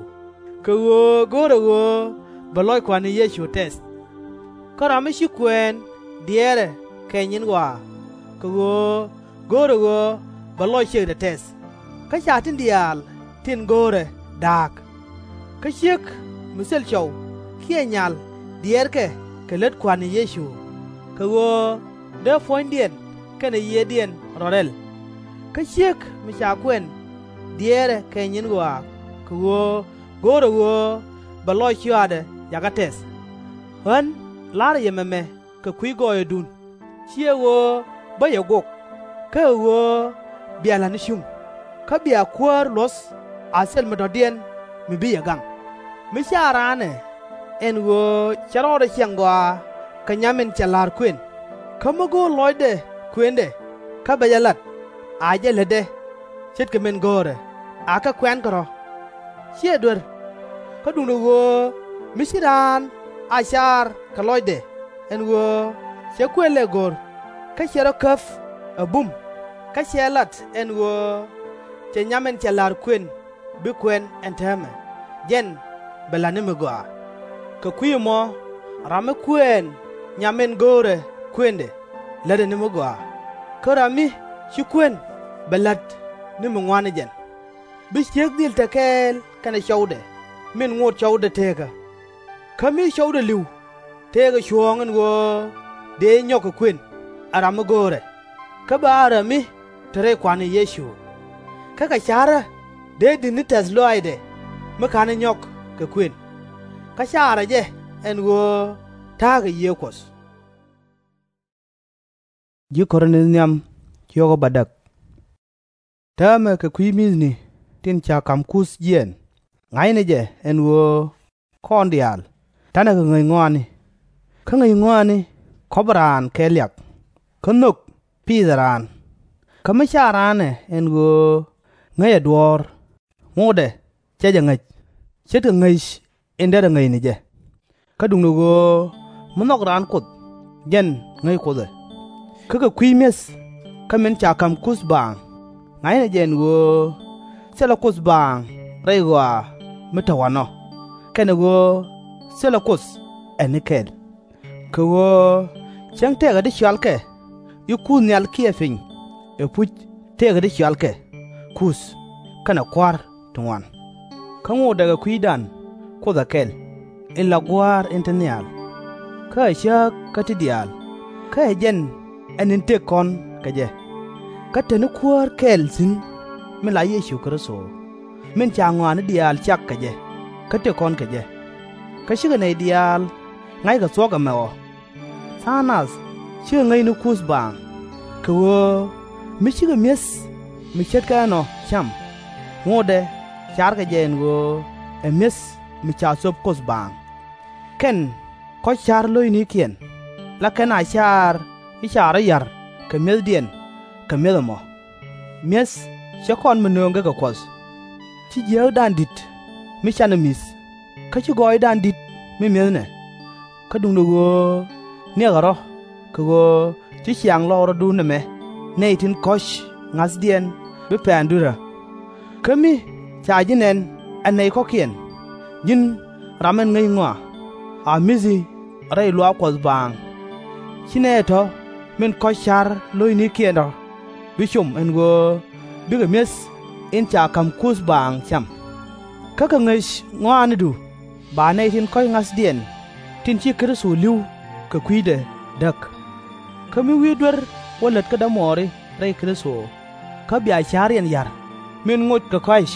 kɛ ɣöö go̱o̱rɛ ɣöö bɛ lɔc Kua̱r ni Yecu tɛth. Kä ram mi ci kuɛɛn diɛɛrɛ kɛ nyin ɣɔaa, kɛ ɣöö go̱o̱rɛ ɣöö bɛ lɔc ciekdɛ tɛth. Kä ca tin diaal tin go̱o̱rɛ da̱a̱k. Kä ciek mi thil cɔw kiɛ nyal diɛɛrkɛ kɛ lät Kua̱r ni Yecu, kɛ ɣöö dee puɔ̱nydiɛn kɛnɛ yiëëdiɛn rɔ rɛl. Kä ciek mi ca kuɛn diɛɛrɛ kɛ nyin ɣɔaa, kɛ ɣöö go̱o̱rɛ ɣöö bɛ lɔc cɔaadɛ jakä tɛth. Ɣän la̱rä yɛ mɛmɛ kɛ kui̱ gɔɔyädun, /ciɛ ɣöö bä yɛ guɔk, kä ɛ ɣöö bia la̱t ni cuŋ, kä bia Kuäär luɔ̱th a thil mi dɔ̱diɛn mi bi yɛ gaŋ. Mi ca̱a̱ raan ɛ ɛn ɣöö cɛ rɔɔdɛ ciɛŋ gɔaa kɛ nyam in cɛ la̱r kuën, kä mi go̱o̱r lɔcdɛ kuëndɛ kä bɛ jɛ la̱t, a jɛ lätdɛ ce̱tkɛ min go̱o̱rɛ, akɛ kuɛ̈nkɛ rɔ̱. /Ciɛ duer. Kä duundɛ ɣöö mi ci raan a car kɛ lɔcdɛ ɛn ɣöö cɛ kuën lɛk go̱r, kä cɛ rɔ käp ɛ bum, kä cɛ lat ɛn ɣöö cɛ nyam in cɛ la̱r kuën bi kuɛn ɛn täämɛ, jɛn bɛ la̱t ni mi gɔaa. Kɛ kui̱ ɛmɔ, ram mi kuɛɛn nyam in go̱o̱rɛ kuëndɛ, lätdɛ ni mi gɔaa. Kä ram mi ci kuën bɛ la̱t ni mi ŋuan ni jɛn. Bi ciek dhil te kɛɛl kɛnɛ cɔwdɛ min ŋot cɔwdɛ teekä. Kä mi cɔwdɛ li̱w, tëëkɛ cuɔ̱ɔ̱ŋ ɛn ɣöö dëë nyɔk kɛ kuën, ɛ ram mi go̱o̱rɛ, kä bɛ a ram mi te rɛy Kua̱r ni Yecu. Kä kɛ ca̱rä dëë di̱t ni tɛ̈th lɔaacdɛ mi /ka̱n ɛ nyɔk kɛ kuën. Kä caarä jɛ ɛn ɣöö ta̱a̱ kɛ Yiëë Kuɔth. Ji̱ Kɔrinth nhiam, ciökä bädäk. Täämɛ kɛ kui̱ mi̱thni tin ca ka̱m kuth jiɛɛn, ŋa̱cnɛ jɛ ɛn ɣöö kɔn diaal ta̱nɛ kɛ ŋäc ŋɔaani. Kä ŋäc ŋɔaani kɔpɛ raan kɛ liak, kä nhök piithɛ raan. Kä mi ca̱a̱ raan ɛ ɛn ɣöö ŋäcɛ duɔ̱ɔ̱r, ŋotdɛ /cɛ jɛ ŋäc, ce̱tkɛ ŋäc in derɛ ŋäc ni jɛ. Kä duundɛ ɣöö mi nhɔk raan Kuoth, jɛn ŋäc Kuoth ɛ. Kä kɛ kui̱ mi̱eth kä min ca ka̱m kuth baaŋ, ŋa̱cnɛ jɛ ɛn ɣöö thilɛ Kuoth baaŋ rɛy ɣɔaa mi te wanɔ, kɛnɛ ɣöö thilɛ Kuoth ɛ ni kɛl. Kɛ ɣöö cäŋ tëëkɛ ti cɔalkɛ i̱ kuth nhial kiɛ piny, ɛpuc tëëkɛ ti cɔalkɛ kuth kɛnɛ kua̱r ti ŋuan. Kä ŋotdɛ kɛ kui̱dan Kuoth ɛ kɛl, in la Gua̱a̱r in te nhial. Kä ɛ cääk kä ti diaal, kä ɛ jɛn ɛ ni̱n tëk kɔn kɛ jɛ. Kä te ni Kuäär kɛl thi̱n, min la Yecu Kritho, min ca ŋɔaani diaal cak kɛ jɛ kä tëk kɔn kɛ jɛ, kä cikɛ nɛy diaal ŋa̱ckɛ thuɔ̱k ɛmɛ ɔ. Tha̱a̱ŋ nath cikɛ ŋäc ni kuth baaŋ, kɛ ɣöö mi cikɛ mi̱eth mi ce̱tkɛ ɛnɔ cam, ŋotdɛ carkɛ jɛ ɛn ɣöö ɛ mi̱eth mi ca thöp Kuoth baaŋ. Kɛn kɔ̱c ca̱r lo̱cnikiɛn, la kɛn a caar i̱ ca rɔ̱ ya̱r kɛ mi̱ethdiɛn kɛ mi̱eth ɛmɔ. Mi̱eth /cɛ kɔn mi nööŋkɛ kɛ Kuɔth. Ci jiääkdan di̱t mi canɛ mi̱th, kä ci gɔɔydan di̱t mi mi̱ethnɛ. Kä duundɛ ɣöö niɛkɛ rɔ̱, kɛ ɣöö ci ciaŋ lɔɔk rɔ̱dun ɛmɛ nɛy tin kɔ̱c ŋa̱thdiɛn bi pɛn dui̱rä. Kä mi ca ji̱ nɛn ɛ nɛy kɔ̱kiɛn, ji̱n ram ɛn ŋäc ŋɔa, a mi̱thi rɛy luaak Kuɔth baaŋ. Ci nɛy tɔ̱ min kɔ̱c ca̱r lo̱cnikiɛn tɔ̱ bi com ɛn ɣöö bikɛ mi̱eth in ca ka̱m kuth baaŋ cam. Kä kɛ ŋäc ŋɔaanidu ba nɛy tin kɔ̱c ŋa̱thdiɛn tin ci Kritho li̱w kɛ kui̱dɛ däk. Kä mi wi̱i̱ duer wä lät kä dämuɔɔri rɛy Kritho, kä bia ca̱riɛn ya̱r min ŋot kɛ kɔ̱a̱c,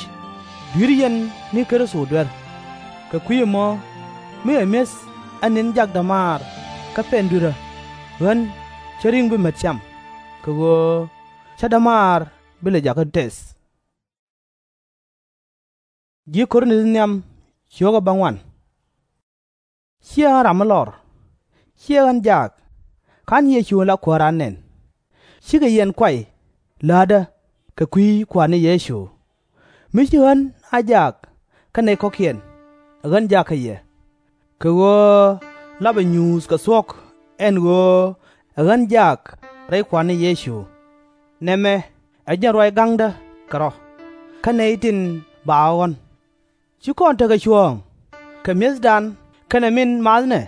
dui̱r yɛn ni Kritho duer. Kɛ kui̱ ɛmɔ, mi ɛ mi̱eth ɛ ni̱n jak dämaar kä pɛn dui̱rä, ɣän /cä ri̱ŋ bi mät cam, kɛ ɣöö /cä dämaar bi lɛ jakä tɛth. Ciɛ ɣän ram mi lɔr, ciɛ ɣän jaak, /ka̱n Yecu in la Kuääran nɛn. Cikɛ yɛn kuay läätdä kɛ kui̱ Kua̱r ni Yecu. Mi ci ɣän a jaak kä nɛy kɔ̱kiɛn, ɛ ɣän jaak kä yɛ, kɛ ɣöö lapɛ nyuuth kɛ thuɔ̱k ɛn ɣöö ɛ ɣän jaak rɛy Kua̱r ni Yecu. Nɛmɛ ɛ jɛn ruac ga̱ŋdä kɛ rɔ̱, kä nɛy tin ba ɣɔ̱n. /Ci kɔn tekɛ cuɔ̱ɔ̱ŋ kɛ mi̱ethdan kɛnɛ min maathnɛ.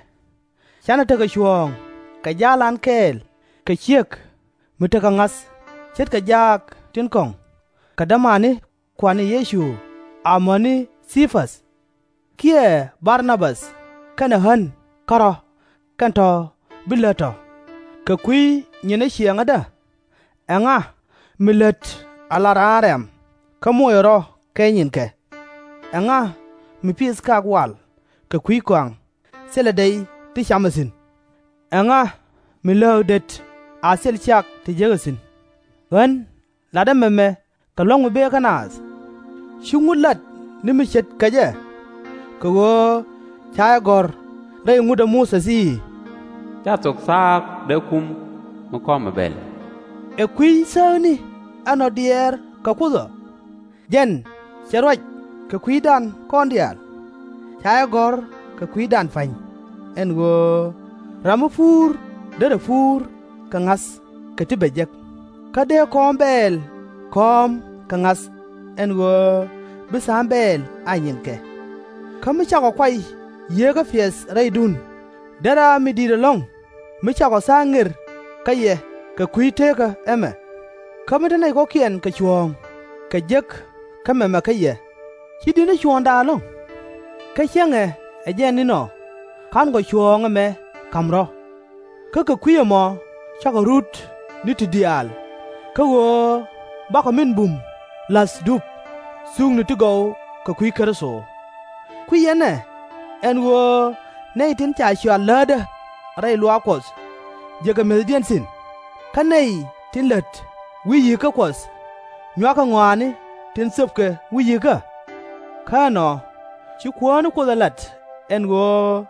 Canɛ tekɛ cuɔ̱ɔ̱ŋ kɛ ja̱a̱lan kɛɛl kɛ ciek mi tekɛ ŋa̱th, ce̱tkɛ jaak tin kɔ̱ŋ, kɛ dämani Kua̱r ni Yecu amäni Thii-päth, kiɛ Bar-na-bäth kɛnɛ ɣän kärɔ̱, kɛn tɔ̱ bi lät tɔ̱. Kɛ kui̱ nyi̱n ɛ ciɛŋädä, ɛŋa mi lät a la raan rɛ̈m, kä moc ɛ rɔ̱ kɛ nyinkɛ? Ɛŋa mi pith kak wal kɛ kui̱ kɔaŋ thilɛ dɛy ti camɛ thi̱n? Ɛŋa mi lääk det a thil cak ti jekɛ thi̱n? Ɣän latdä mɛmɛ kɛ lua̱ŋ mi bëë kä naath. /Ci ŋut lat ni mi ce̱tkɛ jɛ? Kɛ ɣöö ca jɛ gɔ̱r rɛy ŋut ɛ Muthɛ i̱, /Ca thok thaak dee kum mi kɔmɛ bɛl. Ɛ kui̱ thääkni ɛnɔ diɛɛr kɛ Kuoth ɔ? Jɛn cɛ ruac kɛ kui̱dan kɔn diaal. Ca jɛ gɔ̱r kɛ kui̱dan pa̱ny, ɛn ɣöö ram mi puur derɛ puur kɛ ŋa̱th kɛ ti bɛ jek, kä dee kɔ̱ɔ̱m bɛɛl kɔ̱ɔ̱m kɛ ŋa̱th, ɛn ɣöö bi tha̱a̱ŋ bɛɛl a nyinkɛ. Kä mi cakɔ kuay Yieekä piɛth rɛydun, derɛ a mi di̱i̱t ɛlɔ̱ŋ mi cakɔ tha̱a̱ŋ ŋer kä yɛ kɛ kui̱ teekä ɛmɛ. Kä mi te nɛy kɔ̱kiɛn kɛ cuɔ̱ɔ̱ŋ kɛ jek kä mɛmɛ kä yɛ, /ci di̱t ni cuɔ̱ɔ̱ŋdan ɛlɔ̱ŋ? Kä cäŋɛ ɛ jɛn inɔ /ka̱nkɔ cuɔ̱ɔ̱ŋ ɛmɛ ka̱m rɔ̱. Kä kɛ kui̱ ɛmɔ cakɔ rut ni ti diaal, kä ɣöö bakɔ min bum la̱th dup, thukni ti gɔw kɛ kui̱ Kritho. Kui̱ ɛnɛ, ɛn ɣöö nɛy tin ca cɔal läätdä rɛy luaak Kuɔth, jekɛ mi̱ethdiɛn thi̱n. Kä nɛy tin lät wi̱i̱ yi̱kä Kuɔth, nyuakɛ ŋɔaani tin thöpkɛ wi̱i̱ yi̱kä. Kä ɛnɔ, ci Kuäär ni Kuoth ɛ lat ɛn ɣöö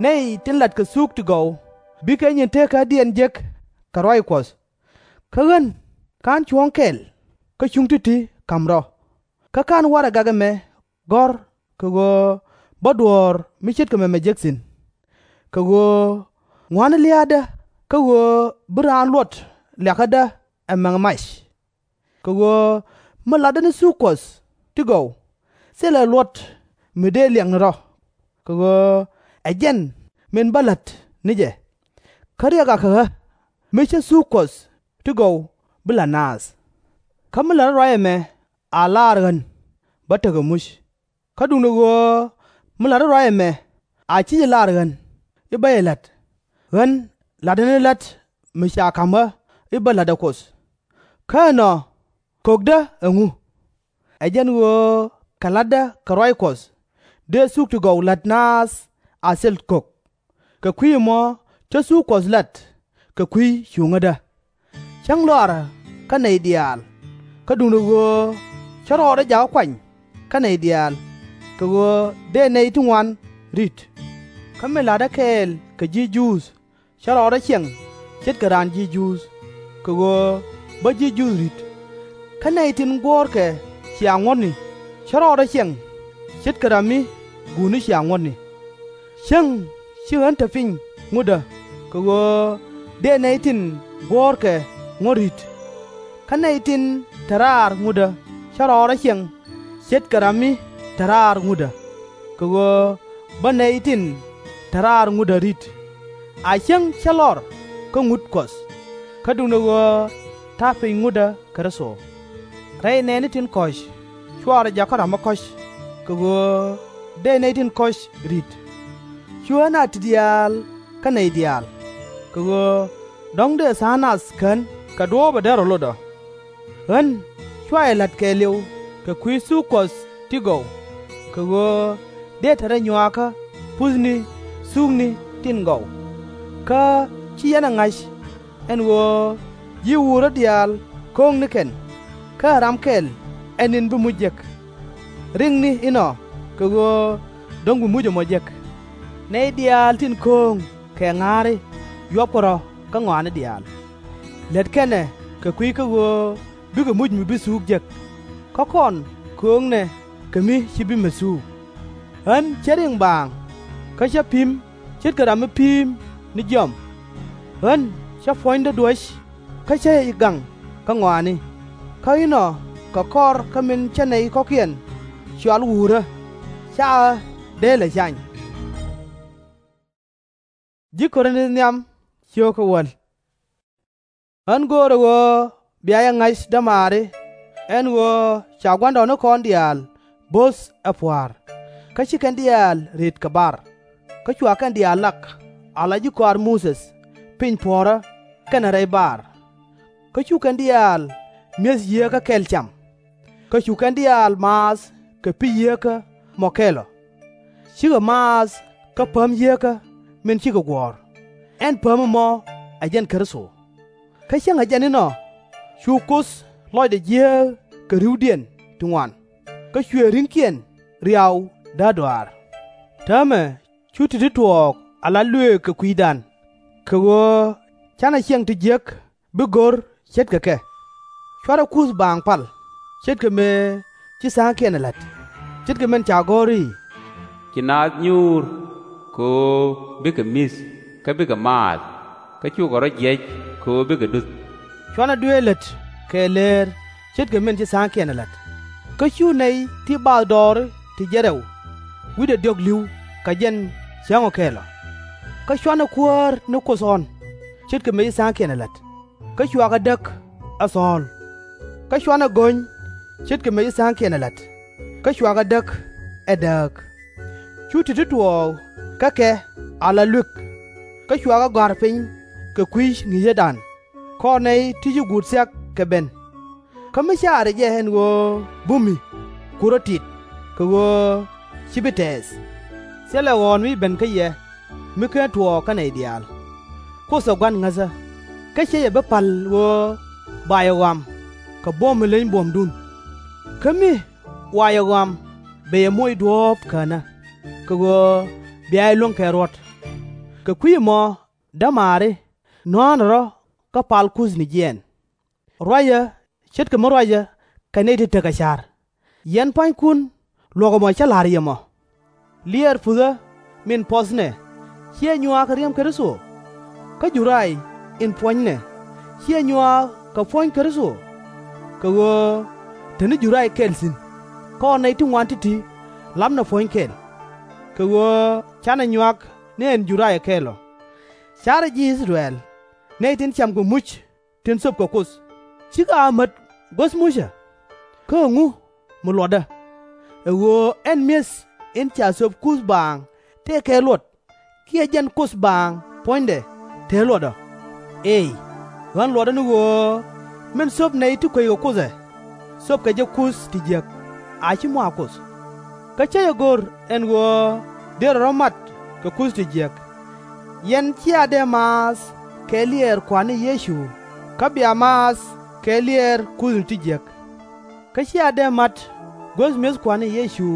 nɛy tin latkɛ thuk ti gɔw bikɛ nyin teekädiɛn jek kɛ ruac Kuɔth. Kä ɣän /ka̱n cuɔ̱ɔ̱ŋ kɛl kä cuŋ ti̱ti̱ ka̱m rɔ̱. Kä /ka̱n warɛgak ɛmɛ gɔ̱r kɛ ɣöö bä duɔ̱ɔ̱r mi ce̱tkɛ mɛmɛ jek thi̱n. Kɛ ɣöö ŋua̱ni lia̱a̱dä kä ɣöö bi raan luɔt liakädä ɛ mɛŋ mac. Kɛ ɣöö mi latdä ni thuk Kuɔth ti gɔw, thilɛ luɔt mi dëë liɛŋni rɔ̱, kɛ ɣöö ɛ jɛn min bä la̱t ni jɛ. Kä riɛk akɛ ɣä mi cä thuk Kuɔth ti gɔw bi la̱t naath. Kä mi la̱tdä ruac ɛmɛ a laar ɣän, bä tekɛ muc. Kä duundɛ ɣöö mi la̱tdä ruac ɛmɛ a /ci jɛ laar ɣän i̱ bä jɛ la̱t, ɣän la̱tdä ni la̱t mi ca ka̱m ɣä i̱ bä la̱tdä Kuoth. Kä ɛnɔ, kökdä ɛŋu? Ɛ jɛn ɣöö kɛ la̱tdä kɛ ruac Kuɔth, dëë thuk ti gɔw la̱t naath a thil kök. Kɛ kui̱ ɛmɔ, cä thuk Kuɔth la̱t kɛ kui̱ cuŋädä. Cäŋ lɔaarä kä nɛy diaal, kä duundɛ ɣöö cä rɔɔdɛ jakä kuany kä nɛy diaal, kɛ ɣöö dëë nɛy ti ŋuan ri̱t. Kä min la̱tdä kɛɛl kɛ ji̱ Juudh, cä rɔɔdɛ ciɛŋ ce̱tkɛ raan ji̱ Juudh, kɛ ɣöö bä ji̱ Juudh ri̱t. Kä nɛy tin guɔ̱ɔ̱rkɛ cia ŋuɔ̱tni, cä rɔɔdɛ ciɛŋ ce̱tkɛ ram mi guutni cia ŋuɔ̱tni. Cäŋ ci ɣän te piny ŋutdä, kɛ ɣöö dëë nɛy tin guɔ̱ɔ̱rkɛ ŋuɔ̱t ri̱t. Kä nɛy tin te raar ŋutdä, cä rɔɔdɛ ciɛŋ ce̱tkɛ ram mi te raar ŋutdä, kɛ ɣöö bä nɛy tin te raar ŋutdä ri̱t. A cäŋ cä lɔr kä ŋut Kuɔth, kä duundɛ ɣöö ta̱a̱ piny ŋutdä Kritho. Rɛy nɛɛni tin kɔ̱c, /cuarɛ jakä ram mi kɔ̱c, kɛ ɣöö dëë nɛy tin kɔ̱c ri̱t. /Cu ɣän a ti diaal kä nɛy diaal, kɛ ɣöö dɔ̱ŋ dëë tha̱a̱ŋ nath kän kɛ duɔ̱ɔ̱p ɛ dee rɔ lot ɔ. Ɣän /cua jɛ la̱t kɛɛliw kɛ kui̱ thuk Kuɔth ti gɔw, kɛ ɣöö dëë te rɔ nyuaakä puthni thukni tin gɔw. Kä /ci yɛn ɛ ŋa̱c, ɛn ɣöö ji̱ wuurä diaal ko̱o̱ŋ ni kɛn, kä ɛ ram kɛl ɛ ni̱n bi muc jek. Riŋni inɔ, kɛ ɣöö dɔ̱ŋ bi muc ɛmɔ jek. Nɛy diaal tin ko̱o̱ŋ kɛ ŋa̱a̱ri, yuɔpkɛ rɔ̱ kä ŋɔaani diaal. Lät kɛn ɛ kɛ kui̱ kä ɣöö bikɛ muc mi bi thuuk jek. Kä kɔn kööŋnɛ kɛ mi /ci bi met thuuk. Ɣän cä riŋ baaŋ, kä cä pi̱m ce̱tkɛ ram mi pi̱i̱m ni jiɔam. Ɣän cä puɔ̱nydä duäc, kä cä ji̱ gaŋ kä ŋɔaani. Kä inɔ, kɛ kɔr kä min cä nɛy kɔ̱kiɛn cɔal wuurä, /ca ɣä dee lɛ cany. Ji̱ Korinth nhiam, ciöökä wäl. Ɣän göörä ɣöö bia jɛ ŋa̱c, dämaari, ɛn ɣöö ca gua̱ndɔɔŋnikɔn diaal bo̱th ɛ pua̱a̱r, kä ci kɛn diaal rët kɛ bar, kä cua kɛn diaal lak ala ji̱ kɔaar Muthɛ piny puɔ̱ɔ̱rä kɛnɛ rɛy bar. Kä cu kɛn diaal mi̱eth yieekä kɛl cam, kä cu kɛn diaal maath kɛ pi̱ yieekä mɔ kɛl ɔ. Cikɛ maath kä päm yieekä min cikɛ guɔ̱ɔ̱r, ɛn päm ɛmɔ ɛ jɛn Kritho. Kä cäŋɛ jɛn inɔ, cu Kuoth lɔcdɛ jiääk kɛ ri̱wdiɛn ti ŋuan, kä cuɛ ri̱ŋkiɛn riaw däärdɔaar. Täämɛ cu ti̱ti̱ tuɔɔk ala luëëk kɛ kui̱dan, kɛ ɣöö /canɛ ciɛŋ ti jiäk bi go̱r ce̱tkɛ kɛ. /Cuarɛ kuth baaŋ pal, ce̱tkɛ mëë ci tha̱a̱ŋkiɛn ɛ la̱t, ce̱tkɛ min ca gɔ̱r i̱, Ci naath nyuur kɛ ɣöö bikɛ mi̱th kä bikɛ maath, kä cukɛ rɔ̱ jiɛc kɛ ɣöö bikɛ duth. /Cuanɛ duëël lät kɛ lëër, ce̱tkɛ min ci tha̱a̱ŋkiɛn ɛ la̱t. Kä cu nɛy ti bathdɔɔri ti jiɛn rɛw wi̱cdɛ diɔ̱k li̱w kɛ jɛn cäŋ ɔ kɛl ɔ. Kä /cuanɛ kuäär ni Kuoth ɣɔ̱n, ce̱tkɛ mëë ci tha̱a̱ŋkiɛn ɛ la̱t, kä cuakɛ däk ɛ thɔ̱ɔ̱l. Kä /cuanɛ go̱ny, ce̱tkɛ mëë ci tha̱a̱ŋkiɛn ɛ la̱t, kä cuakɛ däk ɛ dääk. Cu ti̱ti̱ tuɔɔk kä kɛ ala luek, kä cuakɛ gɔ̱a̱r piny kɛ kui̱ ŋi̱i̱cädan, kɔr nɛy ti ci guut thia̱k kɛ ben. Kä mi caarɛ jɛ ɛn ɣöö bumi, ku rɔ̱ tit, kɛ ɣöö /ci bi tɛɛth. Thilɛ ɣɔ̱ɔ̱n mi ben kä yɛ mi /ken tuɔɔk kä nɛy diaal. Kuoth ɛ Gua̱n ŋäthä, kä /ciɛ jɛ bi pa̱l ɣöö ba jɛ ɣɔam kɛ buɔ̱m mi leny buɔ̱mdun. Kä mi wa jɛ ɣɔam, bɛ jɛ moc duɔ̱ɔ̱p känä, kɛ ɣöö bia jɛ luäŋ kɛ ruɔ̱t. Kɛ kui̱ ɛmɔ, dämaari, nɔ̱a̱nɛ rɔ̱ kä pal kuthni jiɛɛn. Ruacä ce̱tkɛ mi ruacä kɛ nɛy ti tekɛ ca̱r. Yɛn pua̱nykun, luɔ̱k ɛmɔ cä la̱r yɛ mɔ. Liɛɛr puthä min puɔthnɛ, /ciɛ nyuaak kɛ riɛm Kritho? Kä juray in puɔ̱nynɛ, /ciɛ nyuaak kɛ puɔ̱ny Kritho? Kɛ ɣöö te ni juray kɛl thi̱n, kɔr nɛy ti ŋuan ti̱ti̱ lapnɛ puɔ̱ny kɛl, kɛ ɣöö /canɛ nyuak ni ɛn juray ɛ kɛl ɔ. Ca̱rɛ ji̱ I-thɛ-rɛl, nɛy tin cam kɛ muc tin thöpkɛ Kuoth, /cikɛ a mät guäth mucä? Kä ɛŋu mi luɔtdä? Ɛ ɣöö ɛn mi̱eth in ca thöp kuth baaŋ tëë kɛ luɔt, kiɛ jɛn Kuoth baaŋ puɔ̱nydɛ te luɔt ɔ? Eey, Ɣän luɔtdä ni ɣöö min thöp nɛy ti kueckɛ Kuoth ɛ, thöpkɛ jɛ kuth ti jiäk, a /ci mɔ a Kuoth. Kä /cä jɛ go̱r ɛn ɣöö derɛ rɔ̱ mat kɛ kuthni ti jiäk. Yɛn /cia dee maath kɛ liɛɛr Kua̱r ni Yecu kä bia maath kɛ liɛɛr kuthni ti jiäk. Kä /cia dee mat guäth mi̱eth Kua̱r ni Yecu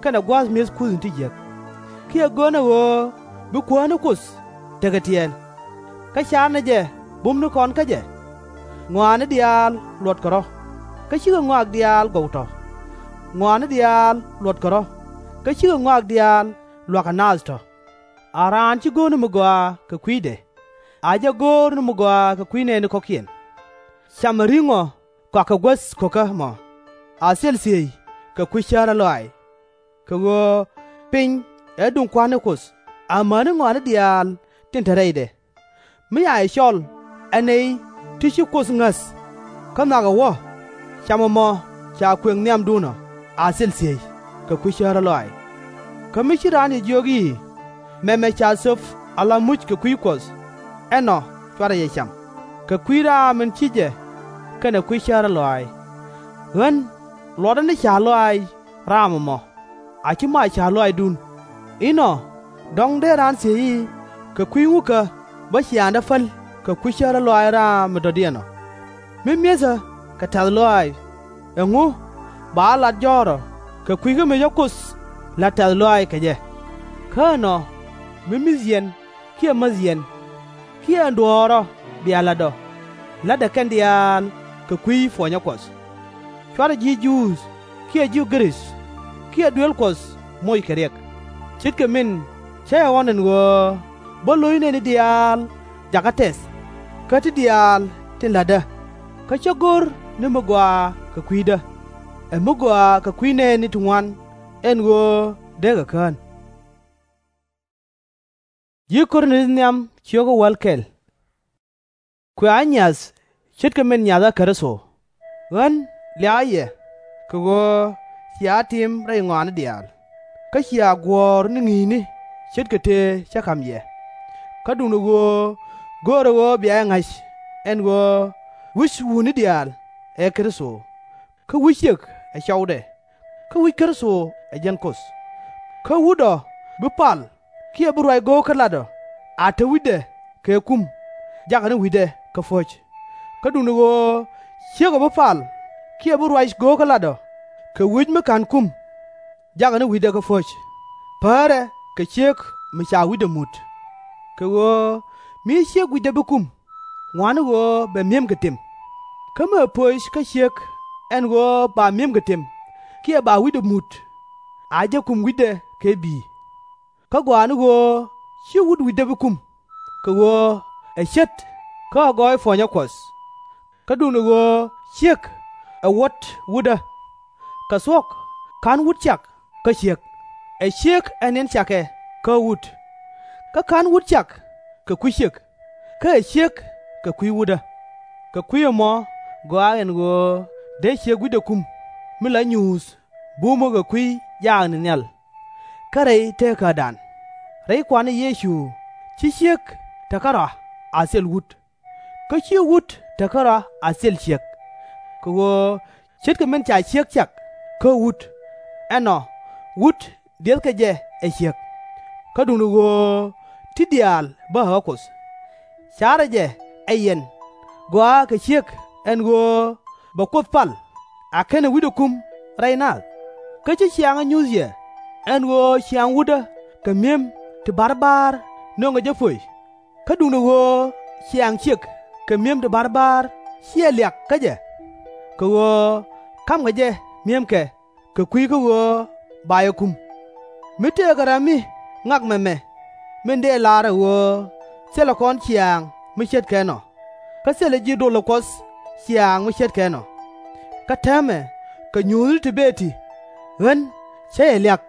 kɛnɛ gua̱a̱th mi̱eth kuthni ti jiäk. Kiɛ gör nɛ ɣöö bi Kuäär ni Kuoth tekɛ tiɛɛl. Kä car nɛ jɛ bumnikɔn kä jɛ. Ŋɔaani diaal luɔtkɛ rɔ̱, kä /cikɛ ŋɔak diaal gɔw tɔ̱. Ŋɔaani diaal luɔtkɛ rɔ̱, kä /cikɛ ŋɔak diaal lua̱kɛ naath tɔ̱. A raan /ci go̱o̱r ni mi gɔaa kɛ kui̱dɛ, a jɛ go̱o̱r ni mi gɔaa kɛ kui̱ nɛɛni kɔ̱kiɛn. Camɛ ri̱ŋɔ kɔakɛ guäth ko̱kä mɔ, a thil thiey kɛ kui̱ cärä lɔaac. Kɛ ɣöö piny ɛ duŋ Kua̱r ni Kuoth amäni ŋɔaani diaal tin te rɛydɛ. Mi ca jɛ cɔl ɛ nɛy ti ci Kuoth ŋäth kä nhɔakɛ wä, camɛ mɔ ca kuëŋ nhiamdun ɔ a thil thiey kɛ kui̱ cärä lɔaac. Kä mi ci raan jɛ jiök i̱, Mɛmɛ ca thöp ala muc kɛ kui̱ Kuɔth, ɛnɔ /cuarɛ jɛ cam, kɛ kui̱ raam min ci jɛ kɛnɛ kui̱ cärä lɔaac. Ɣän luɔtdä ni ca̱r lɔaac raam ɛmɔ, a /ci mɔ a ca̱r lɔaacdun. Inɔ dɔ̱ŋ dee raan thiec i̱, Kɛ kui̱ ŋukä bä ciaaŋdä päl kɛ kui̱ cärä lɔaac raam mi dɔ̱diɛn ɔ? Mi mi̱ethä kɛ tɛ̈th lɔaac, ɛŋu ba ɣä lat jɔ̱ɔ̱rä kɛ kui̱ kä mi cä Kuoth la̱t tɛ̈th lɔaac kɛ jɛ? Kä ɛnɔ mi mi̱th yɛn kiɛ mäth yɛn kiɛ ɛn duɔ̱ɔ̱r ɔ bia la̱t ɔ, la̱tdɛ kɛn diaal kɛ kui̱ puɔnyä Kuɔth. /Cuarɛ ji̱ Juudh kiɛ ji̱ Gɛ-rith kiɛ duëël Kuɔth moc kɛ riɛk, ce̱tkɛ min cä jɛ ɣɔ̱n ɛn ɣöö bä lo̱c nɛɛni diaal jakä tɛth, kä ti diaal tin la̱tdä, kä /cä go̱r ni mi gɔaa kɛ kui̱dä, ɛ mi gɔaa kɛ kui̱ nɛɛni ti ŋuan, ɛn ɣöö deekɛ kään. Kuɛ ɣä nyiath ce̱tkɛ min nyathä Kritho. Ɣän liakɛ yɛ kɛ ɣöö cia tim rɛy ŋɔaani diaal, kä cia guɔ̱ɔ̱r ni ŋi̱i̱cni ce̱tkɛ tëë cä ka̱m yɛ. Kä duundɛ ɣöö görɛ ɣöö bia jɛ ŋa̱c ɛn ɣöö wi̱c wutni diaal ɛ Kritho, kä wi̱c ciëk ɛ cɔwdɛ, kä wi̱c Kritho ɛ jiɛn Kuoth. Kä wut ɔ bi pal kiɛ bi ruac go̱o̱k kä lat ɔ a te wi̱cdɛ kɛ kum jakɛ ni wi̱cdɛ kä puɔ̱c. Kä duundɛ ɣöö ciëk ɔ bi pal kiɛ bi ruac go̱o̱k kä lat ɔ kɛ wi̱c mi /ka̱n kum jakɛ ni wi̱cdɛ kä puɔ̱c, päärɛ kɛ ciëk mi ca wi̱cdɛ mut. Kɛ ɣöö mi ciëk wi̱cdɛ bi kum, ŋɔaani ɣöö bɛ mi̱emkɛ tim. Kä mi ɛ pöc kä ciëk ɛn ɣöö ba mi̱emkɛ tim kiɛ ba wi̱cdɛ mut, a jɛ kum wi̱cdɛ kɛ bi̱i̱. Kä gɔaa ni ɣöö /ci wut wi̱cdɛ bi kum, kɛ ɣöö ɛ ce̱t kä ɛ gɔɔy puɔnyä Kuɔth. Kä duundɛ ɣöö ciëk ɛ wuɔ̱t wutdä, kɛ thuɔ̱k /ka̱n wut cak kä ciëk. Ɛ ciëk ɛ niɛn cakɛ kä wut, kä /ka̱n wut cak kɛ kui̱ ciëk, kä ɛ ciëk kɛ kui̱ wutdä. Kɛ kui̱ ɛmɔ gɔaa ɛn ɣöö dee ciëk wi̱cdɛ kum, mi la nyuuth bumä kɛ kui̱ jaakni nhial. Kä rɛy teekädan, rɛy Kua̱r ni Yecu, /ci ciëk te kärɔa a thil wut, kä /ci wut te kärɔa a thil ciëk. Kɛ ɣöö ce̱tkɛ min ca ciëk cak kä wut, ɛnɔ wut diɛthkɛ jɛ ɛ ciëk. Kä duundɛ ɣöö ti diaal bä ɛ ɣä Kuoth. Ca̱rɛ jɛ ɛ yɛn gɔaa kɛ ciëk ɛn ɣöö bɛ Kuoth pal a /kenɛ wi̱cdɛ kum rɛy naath. Kä /ci ciaŋä nyuth yɛ ɛn ɣöö ciaŋ wutdä kɛ mi̱em ti ba̱rba̱r nöŋɛ jɛ pöc. Kä duundɛ ɣöö ciaŋ ciëk kɛ mi̱em ti ba̱rba̱r /ciɛ liak kä jɛ, kɛ ɣöö ka̱mkɛ jɛ mi̱emkɛ kɛ kui̱ kä ɣöö ba jɛ kum. Mi tëëkɛ ram mi ŋak mɛmɛ, min dëë lar ɛ ɣöö thilɛ kɔn ciaŋ mi ce̱tkɛ ɛnɔ, kä thilɛ ji̱ dolä Kuɔth ciaŋ mi ce̱tkɛ ɛnɔ. Kä täämɛ kɛ nyuuthni ti bëë ti, ɣän cä jɛ liak,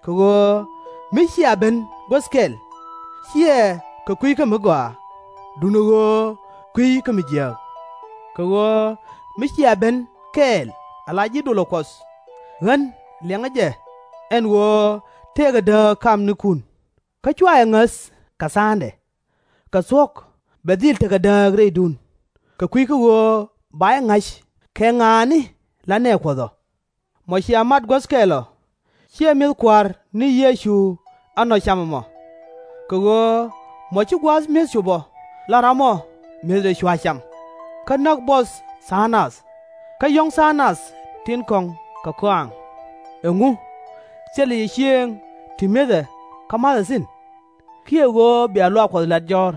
kɛ ɣöö mi cia ben guäth kɛl, /ciɛ kɛ kui̱ kä mi gɔaa, duundɛ ɣöö kui̱ kä mi jiääk. Kɛ ɣöö mi cia ben kɛɛl ala ji̱ dolä Kuɔth, ɣän liɛŋä jɛ ɛn ɣöö tëëkɛ dääk kamnikun, kä /cua jɛ ŋäth kɛ tha̱a̱ŋdɛ. Kɛ thuɔ̱k bɛ dhil tekɛ dääk rɛydun. kɛ kui̱ kä ɣöö ba jɛ ŋa̱c kɛ ŋa̱a̱ni la nɛɛ Kuɔth ɔ. Mɔ cia mat guäth kɛl ɔ, /ciɛ mi̱eth Kua̱r ni Yecu ɛnɔ cam ɛmɔ. Kɛ ɣöö mɔ ci gua̱a̱th mi̱eth cop ɔ la ram ɔ mi̱ethdɛ cua cam, kä näk buɔth tha̱a̱ŋ nath, kä yɔ̱ŋ tha̱a̱ŋ nath tin kɔ̱ŋ kɛ kɔaŋ. Ɛŋu? Thilɛ yɛ ciëëŋ ti mi̱ethɛ kä ma̱thɛ thi̱n? Kiɛ ɣöö bia luaak Kuɔth la̱t jɔ̱ɔ̱r,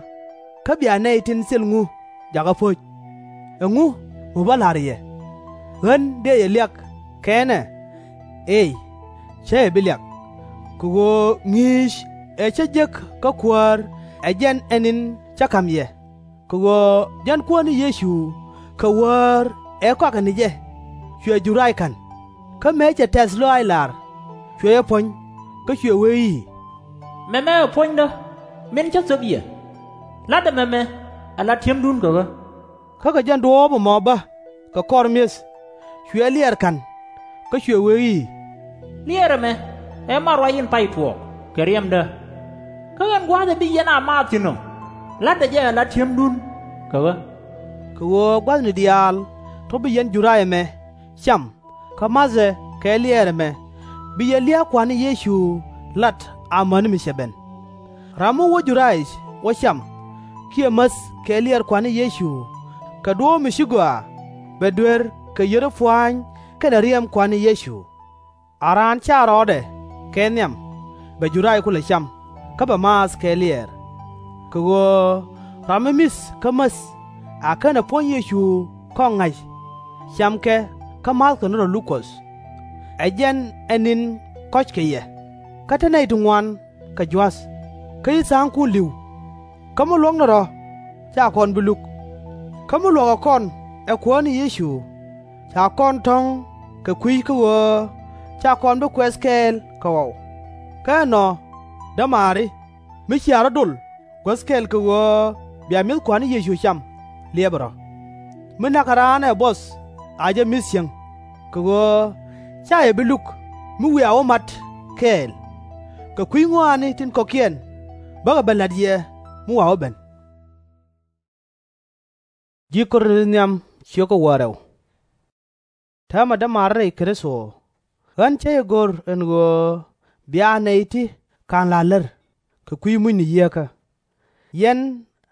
kä bia nɛy tin thil ŋu jakä po̱c? Ɛŋu mi bä la̱r yɛ? Ɣän dëë yɛ liak kɛn ɛ? Eey, cä yɛ bi liak. Kɛ ɣöö ŋi̱i̱c ëë cä jek kä Kuäär ɛ jɛn ɛ ni̱n cä ka̱m yɛ, kɛ ɣöö jɛn Kuäär ni Yecu kɛ Wäär ëë kɔakɛ ni jɛ, cuɛ Juray ka̱n. Kä mëë cɛ tɛ̈th lɔaac lar, cuɛ jɛ puɔ̱ny, kä cuɛ wee i̱, Mɛmɛ ɛ puɔ̱nydä min cä thöp yɛ. La̱tdɛ mɛmɛ ala ti̱emdun kɛ ɣä. Kä kɛ jɛn duɔ̱ɔ̱p ɛmɔ bä kɛ kɔr mi̱eth, cuɛ jɛ liɛɛr ka̱n, kä cuɛ wee i̱, Liɛɛr ɛmɛ ɛ mat ruac in pay tuɔɔk kɛ riɛmdä. Kä ɣän gua̱a̱th ɛ bi yɛn a maath thi̱n ɔ, la̱tdɛ jɛ ala ti̱emdun kɛ ɣä. Kɛ ɣöö gua̱thni diaal tɔ̱ bi yɛn Juray ɛmɛ cam kä ma̱thɛ kɛ liɛɛr ɛmɛ, bi yɛ lia̱a̱ Kua̱r ni Yecu lat amäni mi cɛ ben. Ram mi wä Jurayic wä cam kiɛ mäth kɛ liɛɛr Kua̱r ni Yecu kɛ duɔ̱ɔ̱p mi ci gɔaa, bɛ duer kɛ yiëë pua̱a̱ny kɛnɛ riɛm Kua̱r ni Yecu. A raan /ca rɔɔdɛ kɛ nhiam, bɛ Juray kulɛ cam, kä bɛ maath kɛ liɛɛr. Kɛ ɣöö ram mi mi̱th kä mäth a /kenɛ puɔ̱ny Yecu kɔŋ ŋa̱c, camkɛ kä ma̱thkɛ ni rɔ luk Kuɔth. Ɛ jɛn ɛ ni̱n kɔ̱ckɛ yɛ, kä te nɛy ti ŋuan kɛ jua̱th, kä ci tha̱a̱ŋkun li̱w. Kä mi luɔ̱k ni rɔ̱, /ca kɔn bi luk. Kä mi luɔ̱kɛ kɔn ɛ Kuäär ni Yecu, ca kɔn tɔ̱ŋ kɛ kui̱ kä ɣöö /ca kɔn bi kuɛth kɛɛl kɛ ɣɔw. Kä ɛnɔ, dämaari, mi cia rɔ̱ dol guäth kɛl kɛ ɣöö bia mi̱eth Kua̱r ni Yecu cam, liɛpɛ rɔ̱. Mi na̱kɛ raan ɛ buɔth a jɛ mi̱th cieŋ, kɛ ɣöö /ca yɛ bi luk mi wiaa wä mat kɛɛl. Kɛ kui̱ ŋɔaani tin kɔ̱kiɛn bäkɛ ben la̱t yɛ mi wa wä ben. Täämɛ dämaari rɛy Kritho, ɣän cä jɛ go̱r ɛn ɣöö bia nɛy ti /ka̱n la̱r lär kɛ kui̱ mucni yieekä. Yɛn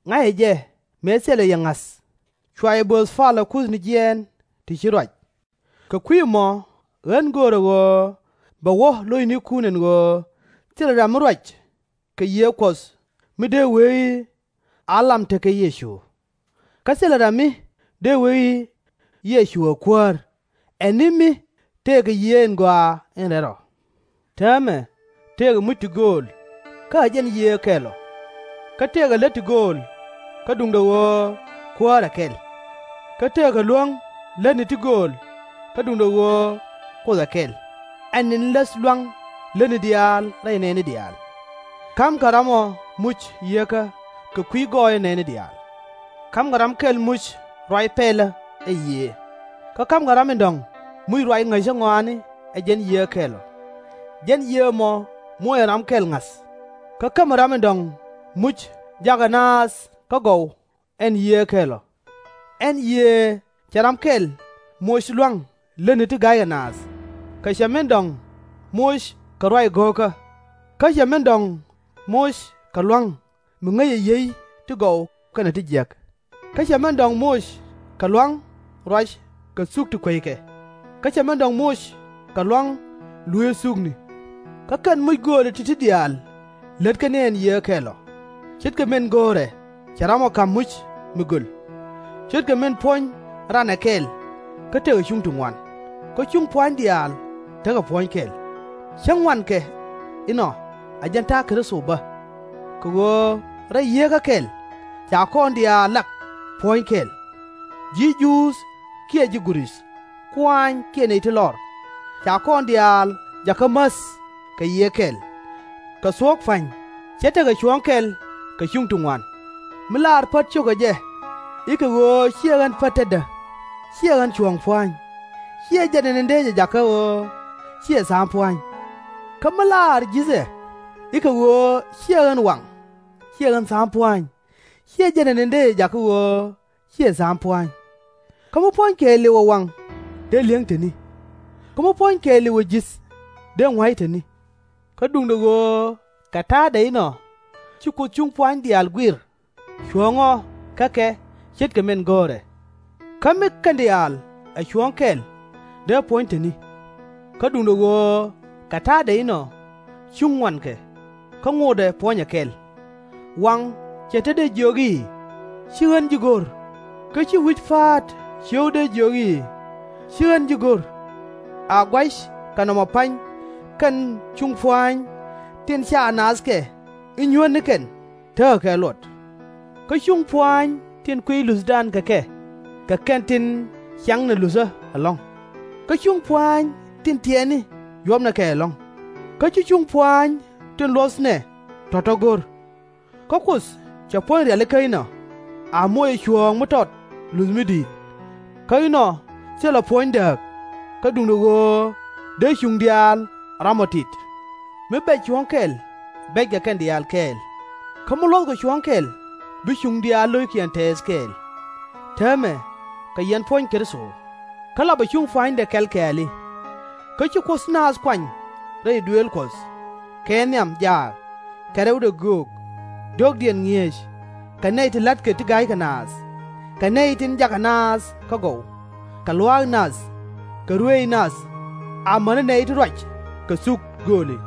ŋa̱cɛ jɛ mëë thilɛ yɛ ŋa̱th, cua yɛ bööth palä kuthni jiɛɛn ti ci ruac. Kɛ kui̱ ɛmɔ ɣän göörä ɣöö bɛ wä lo̱cnikun ɛn ɣöö thilɛ ram mi ruac kɛ Yiëë Kuɔth mi dee wee i̱ a lam tekɛ Yecu. Kä thilɛ ram mi dee wee i̱ Yecu ɛ Kuäär, ɛ ni mi tëëkɛ Yiëë in Gɔaa in Rɛl Rɔ. Täämɛ tëëkɛ muc ti gööl, kä ɛ jɛn Yiëë kɛl ɔ. Kä tëëkɛ lät ti gööl, kä duundɛ ɣöö Kuäär ɛ kɛl. Kä tëëkɛ luäŋ lätni ti gööl, kä duundɛ ɣöö Kuoth ɛ kɛl, ɛ ni̱n läth lua̱ŋ lätni diaal rɛy nɛɛni diaal. Ka̱mkɛ ram ɔ muc yieekä kɛ kui̱ gɔɔyä nɛɛni diaal. Ka̱mkɛ ram kɛl muc ruac pɛlä ɛ Yiëë. Kä ka̱mkɛ ram in dɔ̱ŋ muc ruac ŋäcä ŋɔaani ɛ jɛn Yiëë kɛl ɔ. Jɛn Yiëë ɛmɔ muɔcɛ ram kɛl ŋa̱th. Kä kämɛ ram in dɔ̱ŋ muc jakä naath kä gɔw ɛn Yiëë kɛl ɔ. Ɛn Yiëë cɛ ram kɛl moc lua̱ŋ lätni ti ga̱ykɛ naath, kä cɛ min dɔ̱ŋ moc kɛ ruac go̱o̱kä. Kä cɛ min dɔ̱ŋ moc kɛ lua̱ŋ mi ŋäcɛ yiey ti gɔw kɛnɛ ti jiäk. Kä cɛ min dɔ̱ŋ moc kɛ lua̱ŋ ruac kɛ thuk ti kueckɛ. Kä cɛ min dɔ̱ŋ moc kɛ lua̱ŋ luëëth thukni. Kä kɛn muc gööli ti̱ti̱ diaal lätkɛ ni ɛn Yiëë kɛl ɔ. Ce̱tkɛ min go̱o̱rɛ cɛ ram ɔ ka̱m muc mi göl. Ce̱tkɛ min puɔ̱ny ran ɛ kɛl, kä tekɛ cuŋ ti ŋuan, kä cuŋ pua̱ny diaal tekɛ puɔ̱ny kɛl. Cäŋ ŋuankɛ inɔ ɛ jɛn ta̱a̱ Kritho bä. Kɛ ɣöö rɛy Yieekä kɛl ca kɔn diaal lak puɔ̱ny kɛl, ji̱ Juudh kiɛ ji̱ Gurith, kuaany kiɛ nɛy ti lɔr. Ca kɔn diaal jakä mäth kɛ Yiëë kɛl. Kɛ thuɔ̱k pa̱ny ce̱t tekɛ cuɔ̱ɔ̱ŋ kɛl kɛ cuŋ ti ŋuan. Mi laar pät cokɛ jɛ i̱ kɛ ɣöö /ciɛ ɣän pät tetdä, /ciɛ ɣän cuɔ̱ɔ̱ŋ pua̱ny, /ciɛ jɛn ɛn in dee jɛ jakä ɣöö /ciɛ tha̱a̱ŋ pua̱ny. Kä mi laar ji̱thɛ i̱ kɛ ɣöö /ciɛ ɣän waŋ, /ciɛ ɣän tha̱a̱ŋ pua̱ny, /ciɛ jɛn ɛn in dee jɛ jakä ɣöö /ciɛ tha̱a̱ŋ pua̱a̱ny. Kä mi puɔ̱ny kɛɛliw ɛ waŋ, dee li̱eŋ te ni. Kä mi puɔ̱ny kɛɛliw ɛ ji̱th, dee ŋua̱c te ni. Kä duundɛ ɣöö kɛ ta̱a̱dɛ inɔ, ci Kuoth cuŋ pua̱a̱ny diaal guir, cuɔ̱ɔ̱ŋ ɔ kä kɛ ce̱tkɛ min go̱o̱rɛ. Kä mi kɛn diaal ɛ cuɔ̱ɔ̱ŋ kɛl, dee puɔ̱ny te ni. Kä duundɛ ɣöö kɛ ta̱a̱dɛ inɔ, cuŋ ŋuankɛ, kä ŋotdɛ puɔ̱nyɛ kɛl. Waŋ /cɛ te dee jiök i̱, ci ɣän ji̱ go̱r, kä ci wi̱c pa̱a̱t cio̱w dee jiök i̱, ci ɣän ji̱ go̱r. A gua̱c kɛ nɔmɔ pa̱ny kɛn cuŋ pua̱a̱ny tin /ca naath kɛ i̱ nyuäth ni kɛn tekɛ kɛ luɔt. Kä cuŋ pua̱a̱ny tin kuiy luthdan kɛ kɛ, kɛ kɛn tin ciaŋnɛ luthä ɛlɔ̱ŋ. Kä cuŋ pua̱a̱ny tin tiɛɛkni yuɔpnɛ kɛ ɛlɔ̱ŋ. Kä ci cuŋ pua̱a̱ny tin luɔthnɛ tɔ̱tɔ̱ go̱r. Kä Kuoth cɛ puɔ̱ny rialikä inɔ, a moc ɛ cuɔ̱ɔ̱ŋ mi tɔt luth mi di̱i̱t. Kä inɔ thilɛ puɔ̱ny dääk, kä duundɛ ɣöö dee cuŋ diaal ɛ ram ɔ tit. Mi bɛc cuɔ̱ɔ̱ŋ kɛl, bɛckɛ kɛn diaal kɛɛl. Kä mi luɔ̱thkɛ cuɔ̱ɔ̱ŋ kɛl, bi cuŋ diaal lo̱ckiɛn tɛɛth kɛɛl. Täämɛ, kɛ yɛn puɔ̱ny Kritho, kä lapɛ cuŋ pua̱a̱nydɛ kɛl kɛɛli. Kä ci Kuoth naath kuany rɛy duëël Kuɔth, kɛ nhiam jaak, kɛ rɛwdɛ göök, diɔ̱ɔ̱kdiɛn ŋi̱eec, kɛ nɛy ti la̱tkɛ ti ga̱ykɛ naath, kɛ nɛy tin jakä naath kä gɔw, kɛ luaak nath, kɛ ruëëc nath, amäni nɛy ti ruac kɛ thuk gööli.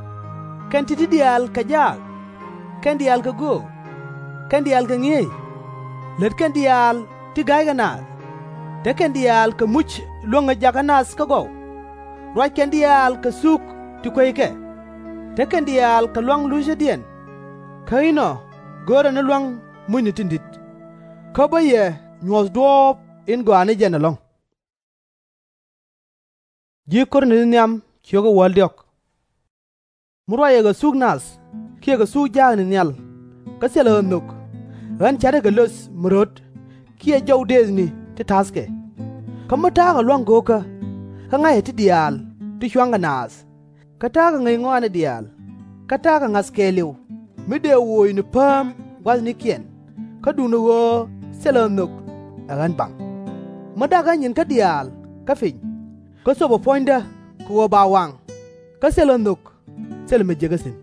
Kɛn ti̱ti̱ diaal kɛ jaak, kɛn diaal kɛ göök, kɛn diaal kɛ ŋi̱eec, lät kɛn diaal ti ga̱ykɛ naath, te kɛn diaal kɛ muc luäŋ ɛ jakä nath kä gɔw, ruac kɛn diaal kɛ thuk ti kueckɛ, te kɛn diaal kɛ luaŋ luthädiɛn. Kä inɔ görɛ ni luaŋ mucni tin di̱t. Kä bä yɛ nyuɔ̱th duɔ̱ɔ̱p in gɔaa ni jɛn ɛlɔ̱ŋ. Ji̱ Korinth nhiam ciökä wäl diɔ̱k. Mi ruacɛ kɛ thuk nath kiɛ kɛ thuk jaakni nhial, kä thilɛ ɣä nhök, ɣän ca̱rä kɛ löth mi röt kiɛ jɔw dëëthni ti ta̱thkɛ. Kä mi ta̱a̱kɛ lua̱ŋ go̱o̱kä, kä ŋa̱cä ti diaal ti cua̱ŋkɛ naath, kä ta̱a̱kɛ ŋäc ŋɔaani diaal, kä ta̱a̱kɛ ŋa̱th kɛɛliw mi dëë woc ni pääm gua̱thnikiɛn, kä duundɛ ɣöö thilɛ ɣä nhök, ɛ ɣän baŋ. Mi da̱k ɣä nyinkä diaal kä piny, kä thöpɛ puɔ̱nydä kɛ ɣöö ba waŋ, kä thilɛ ɣä nhök, thilɛ mi jek ɣä thi̱n.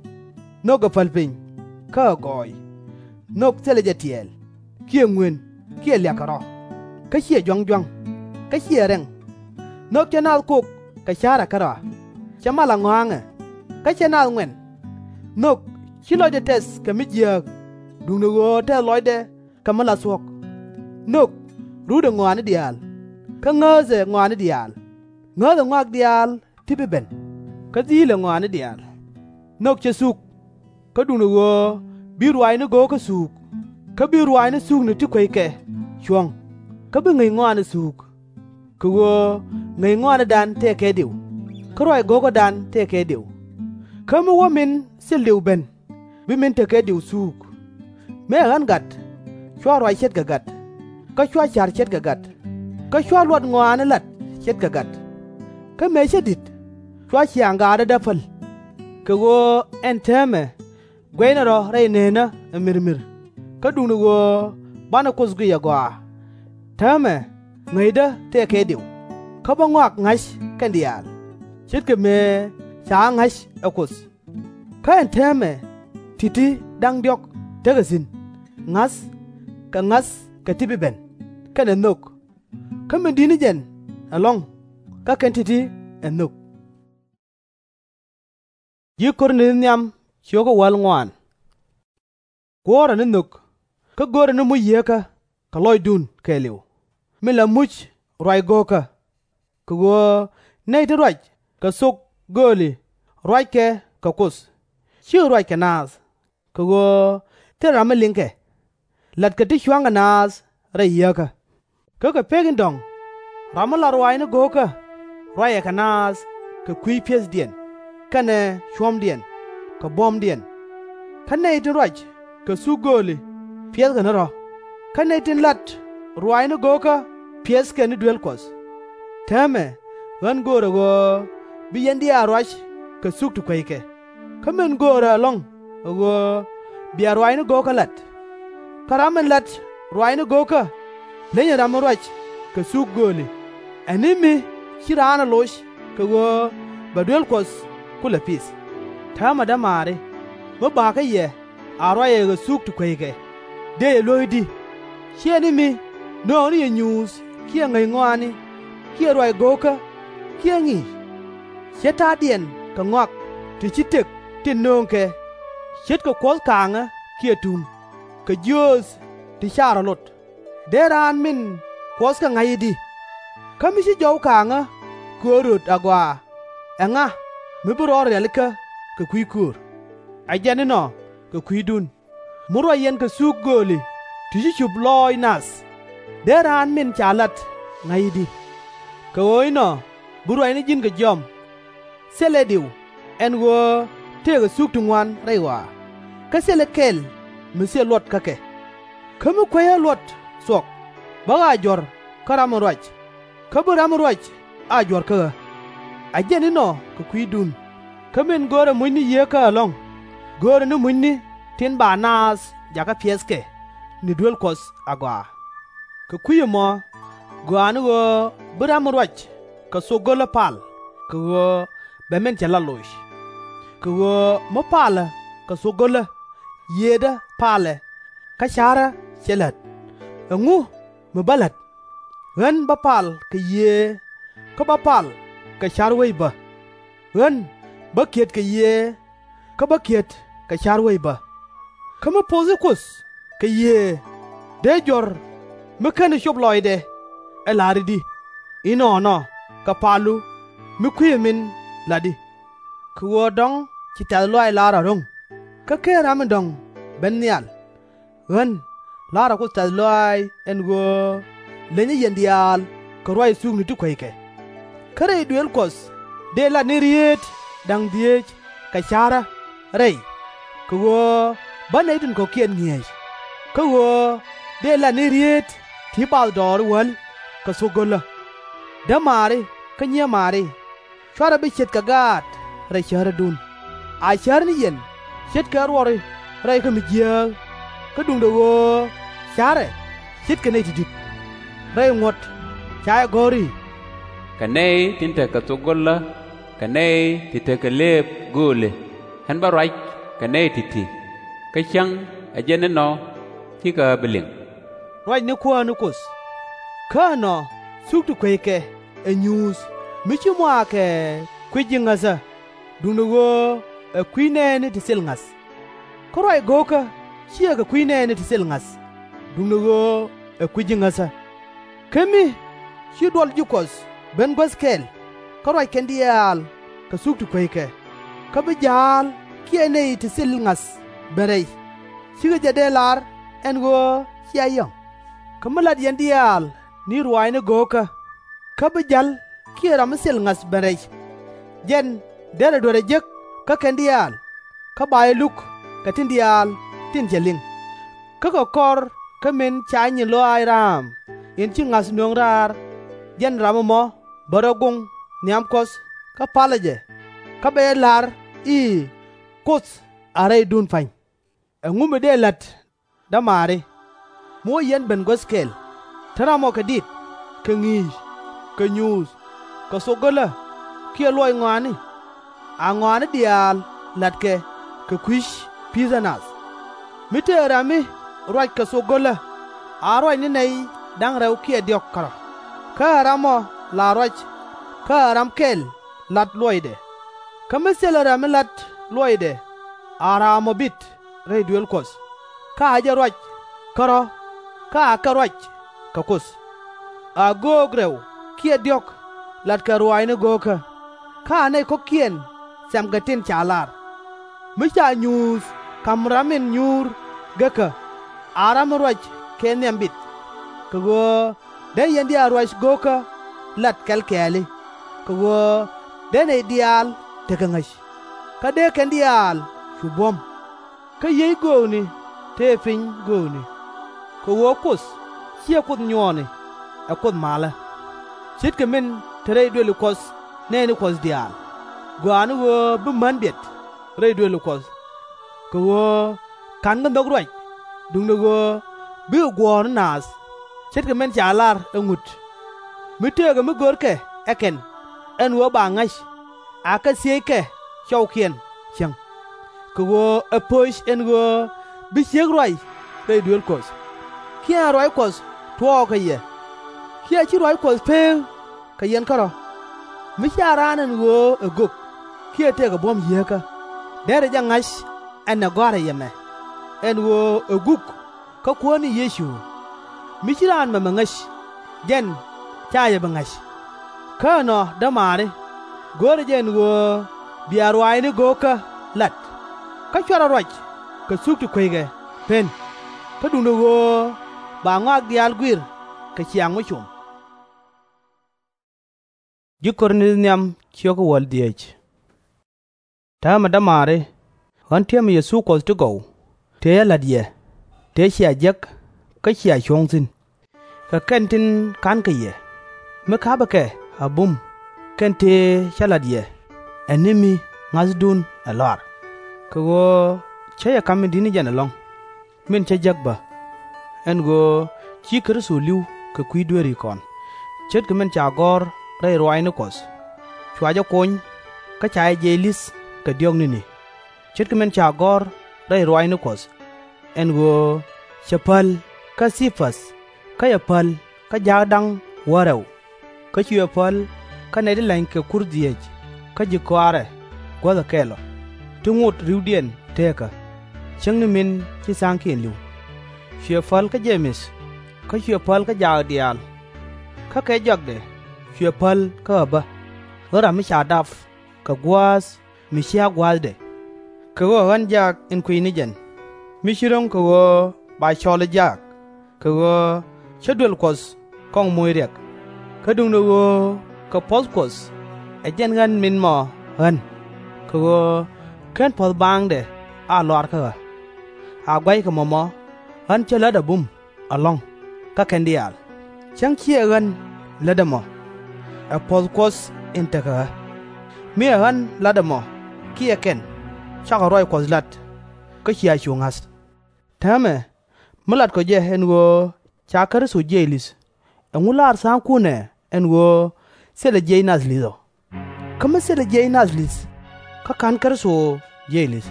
Nhök ɛ päl piny, kä ɛ gɔɔy. Nhök thilɛ jɛ tiɛɛl, kiɛ ŋuën, kiɛ liak kɛ rɔ, kä /ciɛ jua̱ŋ jua̱ŋ, kä /ciɛ rɛŋ. Nhök cɛ naath kok kɛ ca̱rɛ kärɔa, cɛ mal a ŋɔaŋɛ, kä cɛ naath ŋuɛn. Nhök /ci lɔcdɛ tɛth kɛ mi jiääk, duundɛ ɣöö tɛth lɔcdɛ kɛ mi la thuɔ̱k. Nhök ruutdɛ ŋɔaani diaal, kä ŋääthɛ ŋɔaani diaal. Ŋääthɛ ŋɔak diaal ti bi ben, kä dhiilɛ ŋɔaani diaal. Nhök cɛ thuk, kä duundɛ ɣöö bi ruaacni go̱o̱kä thuuk, kä bi ruaacni thukni ti kueckɛ cuɔ̱ŋ, kä bi ŋäc ŋɔaani thuuk. Kɛ ɣöö ŋäc ŋɔaanidan tëë kɛ diw, kä ruac go̱o̱kädan tëë kɛ diw. Kä mi wä min thil diw ben, bi min te kɛ diw thuuk. Mëë ɣän gat, /cua ruac ce̱tkɛ gat, kä /cua ca̱r ce̱tkɛ gat, kä /cua luɔt ŋɔaani lat ce̱tkɛ gat. Kä mëë cä di̱t, /cua ciaŋ gaatädä päl. Kɛ ɣöö ɛn täämɛ guɛcnɛ rɔ rɛy nëënä ɛ mi̱rmi̱r, kä duundɛ ɣöö banɛ Kuoth guic ɛ gɔaa. Täämɛ ŋäcdä tëë kɛ diw, kä bä ŋɔak ŋa̱c kɛn diaal, ce̱tkɛ mëë ca ɣä ŋa̱c ɛ Kuoth. Kä ɛn täämɛ ti̱ti̱ da̱ŋ diɔ̱k tekɛ thi̱n, ŋa̱th, kɛ ŋa̱th kɛ ti bi ben, kɛnɛ nhök. Kä min di̱t ni jɛn ɛlɔ̱ŋ, kä kɛn ti̱ti̱ ɛ nhök. Ji̱ Korinth nhiam ciökä wäl ŋuan. Guɔ̱ɔ̱rɛ ni nhök, kä görɛ ni muc yieekä kɛ lɔcdun kɛɛliw, min la muc ruac go̱o̱kä. Kɛ ɣöö nɛy ti ruac kɛ thok gööli ruackɛ kɛ Kuoth, /cikɛ ruac kɛ naath, kɛ ɣöö thilɛ ram mi liŋkɛ. Latkɛ ti cua̱ŋkɛ naath rɛy yieekä. Kä kɛ pek in dɔ̱ŋ, ram mi la ruaacni go̱o̱kä ruacɛ kɛ naath kɛ kui̱ pi̱ethdiɛn, kɛnɛ cuɔ̱mdiɛn, kɛ buɔ̱mdiɛn. Kä nɛy tin ruac kɛ thuk gööli piɛthkɛ ni rɔ̱, kä nɛy tin lat ruaacni go̱o̱kä piɛthkɛ ni duel Kuɔth. Täämɛ ɣän göörä ɣöö bi yɛn diaal ruac kɛ thuk ti kueckɛ. Kä min göörä ɛlɔ̱ŋ ɛ ɣöö bia ruaacni go̱o̱kä lat. Kä ram min lat ruaacni go̱o̱kä Leny ɛ ram mi ruac kɛ thuk gööli, ɛ ni mi /ci raan ɛ loc kɛ ɣöö bɛ duel Kuɔth kulɛ pith. Täämɛ, dämaari, mi bakä yɛ a ruacɛ kɛ thuk ti kueckɛ, dëë yɛ luɔ̱k i̱di? /Ciɛ ni mi nööŋni yɛ nyuuth kiɛ ŋäc ŋɔaani kiɛ ruac go̱o̱kä kiɛ ŋi̱i̱c? /Cɛ ta̱a̱diɛn kɛ ŋɔak ti /ci tëk tin nööŋkɛ, ce̱tkɛ kuɔ̱th kaaŋä kiɛ tuŋ, kɛ jiööth ti /ca rɔ̱ lot. Dee raan min kuɔthkä ŋa̱c i̱di? Kä mi ci jɔw kaaŋä köör röt agɔaa, ɛŋa mi bi rɔɔdɛ rialikä kɛ kui̱ köör? Ɛ jɛn inɔ kɛ kui̱dun, mi ruac yɛn kɛ thuk gööli ti /ci cup lɔɔc nath, dee raan min ca lat ŋa̱c i̱di? Kɛ ɣöö inɔ bi ruacni ji̱n kɛ jiɔam. Thilɛ diw ɛn ɣöö tëëkɛ thuk ti ŋuan rɛy ɣɔaa, kä thilɛ kɛl mi thil luɔt kä kɛ. Kä mi kuecä luɔt thuɔk, bä ɣä a juɔ̱r kä ram in ruac, kä bi ram in ruac a juɔ̱r kä ɣä. Ɛ jɛn inɔ kɛ kui̱dun, kä min görɛ mucni yieekä ɛlɔ̱ŋ, görɛ ni mucni tin ba naath jakä piɛthkɛ ni duel Kuɔth agɔaa. Kɛ kui̱ ɛmɔ, gɔaa ni ɣöö bi ram in ruac kɛ thok go̱lä pal, kɛ ɣöö bɛ min cɛ lat loc. Kɛ ɣöö mi palä kɛ thok go̱lä, yiëëdä palɛ, kä ca̱rä cɛ lät. Ɛŋu mi bä la̱t? Ɣän bä pal kɛ yiëë, kä bä pal kɛ ca̱r wec bä. Ɣän bä kiɛt kɛ yiëë, kä bä kiɛt kɛ ca̱r wec bä. Kä mi pothi Kuoth kɛ yiëë, dee juɔ̱r mi /keni cop lɔcdɛ ɛ la̱r i̱di? Inɔnɔ kɛ palu mi kui̱c ɛmin la̱t i̱, kɛ ɣöö dɔ̱ŋ ci tɛ̈th lɔaac la̱r ɛ ro̱ŋ, kä /ken ram in dɔ̱ŋ ben nhial. Ɣän la̱rä Kuoth tɛ̈th lɔaac ɛn ɣöö lenyä yɛn diaal kɛ ruac thukni ti kueckɛ. Kä rɛy duëël Kuɔth dëë lat ni rieet da̱ŋ dhieec kɛ ca̱rä rɛy, kɛ ɣöö bä nɛy tin kɔ̱kiɛn ŋi̱eec, kä ɣöö dëë lat ni rieet ti bathdɔɔri wäl kɛ thok go̱lä. Dämaari kä nyiemaari, /cuarɛ bi ce̱tkɛ gaat rɛy cärädun. A cär ni yɛn ce̱tkɛ ruɔri rɛy kä mi jiääk, kä duundɛ ɣöö ca̱rɛ ce̱tkɛ nɛy ti di̱t. Rɛy ŋuɔ̱t ca jɛ gɔ̱r i̱, Kɛ nɛy tin tekɛ thok go̱lä kɛ nɛy ti tekɛ lëëp gööli ɣän bä ruac kɛ nɛy ti̱ti̱, kä cäŋ ɛ jɛn inɔ cikɛ ɣä bi liŋ. Ruac ni Kuäär ni Kuoth. Kä ɛnɔ thuk ti kueckɛ ɛ nyuuth mi ci muaakɛ kui̱ ji̱ ŋäthä, duundɛ ɣöö ɛ kui̱ nɛɛni ti thil ŋa̱th. Kä ruac go̱o̱kä /ciɛ kɛ kui̱ nɛɛni ti thil ŋa̱th, duundɛ ɣöö ɛ kui̱ ji̱ ŋäthä. Kä mi ci duɔl ji̱ Kuɔth ben guäth kɛl, kä ruac kɛn diaal kɛ thuk ti kueckɛ, kä bi ja̱a̱l kiɛ nɛy ti thil ŋa̱th ben rɛy, /cikɛ jɛ dee lar ɛn ɣöö cia yɔ̱ŋ? Kä mi la̱t yɛn diaal ni ruaacni go̱o̱kä, kä bi ja̱l kiɛ ram mi thil ŋa̱th ben rɛy, jɛn derɛ duerɛ jek kä kɛn diaal, kä ba jɛ luk kɛ tin diaal tin cɛ liŋ. Kä kɛ kɔr kä min ca nyin lɔaac raam in ci ŋa̱th nöŋ raar, jɛn ram ɛmɔ bɛ rɔ goŋ nhiam Kuɔth kä palä jɛ, kä bɛ jɛ la̱r i̱ Kuoth a rɛydun pa̱ny. Ɛŋu mi dëë la̱t, dämaari, mi wä yɛn ben guäth kɛl, te ram ɔ kɛ dit, kɛ ŋi̱i̱c, kɛ nyuuth, kɛ thok go̱lä, kiɛ luɔc ŋɔaani? A ŋɔaani diaal la̱tkɛ kɛ kui̱c pi̱thä nath. Mi tëë ram mi ruac kɛ thok go̱lä, a ruac ni nɛy da̱ŋ rɛw kiɛ diɔ̱k kärɔ̱, kä ɛ ram ɔ la ruac, kä ɛ ram kɛl lat luɔcdɛ. Kä mi thilɛ ram mi lat luɔcdɛ, a ram ɔ bit rɛy duëël Kuɔth, kä a jɛ ruac kärɔ̱, kä akɛ ruac kɛ Kuoth. A göök rɛw kiɛ diɔ̱k latkɛ ruaacni go̱o̱kä, kä a nɛy kɔ̱kiɛn thɛmkɛ tin ca lar. Mi ca nyuuth ka̱m ram in nyuur gekä, a ram in ruac kɛ nhiam bit, kɛ ɣöö dee yɛn diaal ruac go̱o̱kä lat kɛl kɛɛli, kɛ ɣöö dee nɛy diaal tekɛ ŋäc, kä dee kɛn diaal cu buɔ̱m. Kä yiey göökni tëë piny göökni. Kɛ ɣöö Kuoth /ciɛ Kuoth nyuɔɔni, ɛ Kuoth malä. Ce̱tkɛ min te rɛy duëli Kuɔth nɛɛni Kuɔth diaal, gɔaa ni ɣöö bi män biɛt rɛy duëli Kuɔth. Kɛ ɣöö /ka̱nkɛ nhök ruac, duundɛ ɣöö bikɛ guɔ̱ɔ̱r ni naath. ce̱tkɛ min ca lar ɛ ŋut, mi tëëkɛ mi görkɛ ɛ kɛn, ɛn ɣöö ba ŋa̱c, akɛ thiëckɛ cɔwkiɛn cieŋ, kɛ ɣöö ɛ pöc ɛn ɣöö bi ciek ruac rɛy duëël Kuɔth, kiɛ ɛn ruac Kuɔth tuɔɔk kɛ yɛ, kiɛ /ci ruac Kuɔth pëëk kɛ yɛn kärɔ̱. Mi /ca raan ɛn ɣöö ɛ gök kiɛ tëëkɛ buɔ̱m yieekä derɛ jɛ ŋa̱c ɛn ɛ gɔ̱a̱rä yɛ mɛ, ɛn ɣöö ɛ guk kä Kuäär ni Yecu. Mi /ci raan mɛmɛ ŋäc, jɛn /ca yɛ bi ŋa̱c. Kä ɛnɔ, dämaari, görɛ jɛ ɛn ɣöö bia ruaacni go̱o̱kä lat, kä /cuarɛ ruac kɛ thuk ti kueckɛ pen, kä duundɛ ɣöö ba ŋɔak diaal guir kɛ ciaaŋ mi com. Täämɛ, dämaari, ɣän täämɛ Yecu Kuɔth ti gɔw, tëë ɣä la̱t yɛ, tëë cia jek kä cia cuɔ̱ŋ thi̱n, kɛ kɛn tin ka̱nkɛ yɛ, mi ka̱pɛ kɛ a bum kɛn tëë cä la̱t yɛ ɛ ni mi ŋa̱thdun ɛ lɔar. Kɛ ɣöö /cä yɛ ka̱m in di̱t ni jɛn ɛlɔ̱ŋ, min cä jek bä, ɛn ɣöö ci Kritho li̱w kɛ kui̱ dueeri kɔn, ce̱tkɛ min ca gɔ̱r rɛy ruaacni Kuɔth, cua jɛ kony, kä ca jɛ jiɛc li̱th kɛ diɔ̱k ni̱ni, ce̱tkɛ min ca gɔ̱r rɛy ruaacni Kuɔth, ɛn ɣöö cɛ päl kä Thɛ-päth, kä cɛ päl kä jaak da̱ŋ wäl rɛw, kä cuɛ päl kä nɛy ti leny kɛ kur dhieec kä ji̱ kɔaarɛ guäthɛ kɛl ɔ, ti ŋot ri̱wdiɛn teekä, cäŋ ni min ci tha̱a̱ŋkiɛn li̱w. Cuɛ päl kä Je-mɛth, kä cuɛ päl kä jaak diaal. Kä kɛ jɔakdɛ cuɛ päl kä ɣä bä, ɣän ram mi ca dap kɛ gua̱a̱th mi /ciɛ gua̱a̱thdɛ. Kɛ ɣöö ɛ ɣän jaak in kuiy ni jɛn, mi ci ro̱ŋ kɛ ɣöö ba cɔl ɛ jaak, kɛ ɣöö cä duël Kuɔth kɔŋ moc riɛk. Kä duundɛ ɣöö kɛ puɔ̱th Kuɔth ɛ jɛn ɣän min mɔ ɣän, kɛ ɣöö /ken puɔ̱th baaŋdɛ a lɔar kä ɣä. A gua̱ckɛ mɔmɔ ɣän cä lät a bum ɛlɔ̱ŋ kä kɛn diaal, cäŋ /ciɛ ɣän lät ɛmɔ, ɛ puɔ̱th Kuɔth in tekɛ ɣä. Mi ɛ ɣän la̱t ɛmɔ kiɛ kɛn, cakɔ ruac Kuɔth la̱t, kä cia cu ŋa̱th. Täämɛ, mi latkɔ jɛ ɛn ɣöö ca Kritho jiɛc li̱th, ɛŋu laar tha̱a̱ŋkun ɛ ɛn ɣöö thilɛ jiɛc nath li̱th ɔ? Kä mi thilɛ jiɛc nath li̱th, kä /ka̱n Kritho jiɛc li̱th.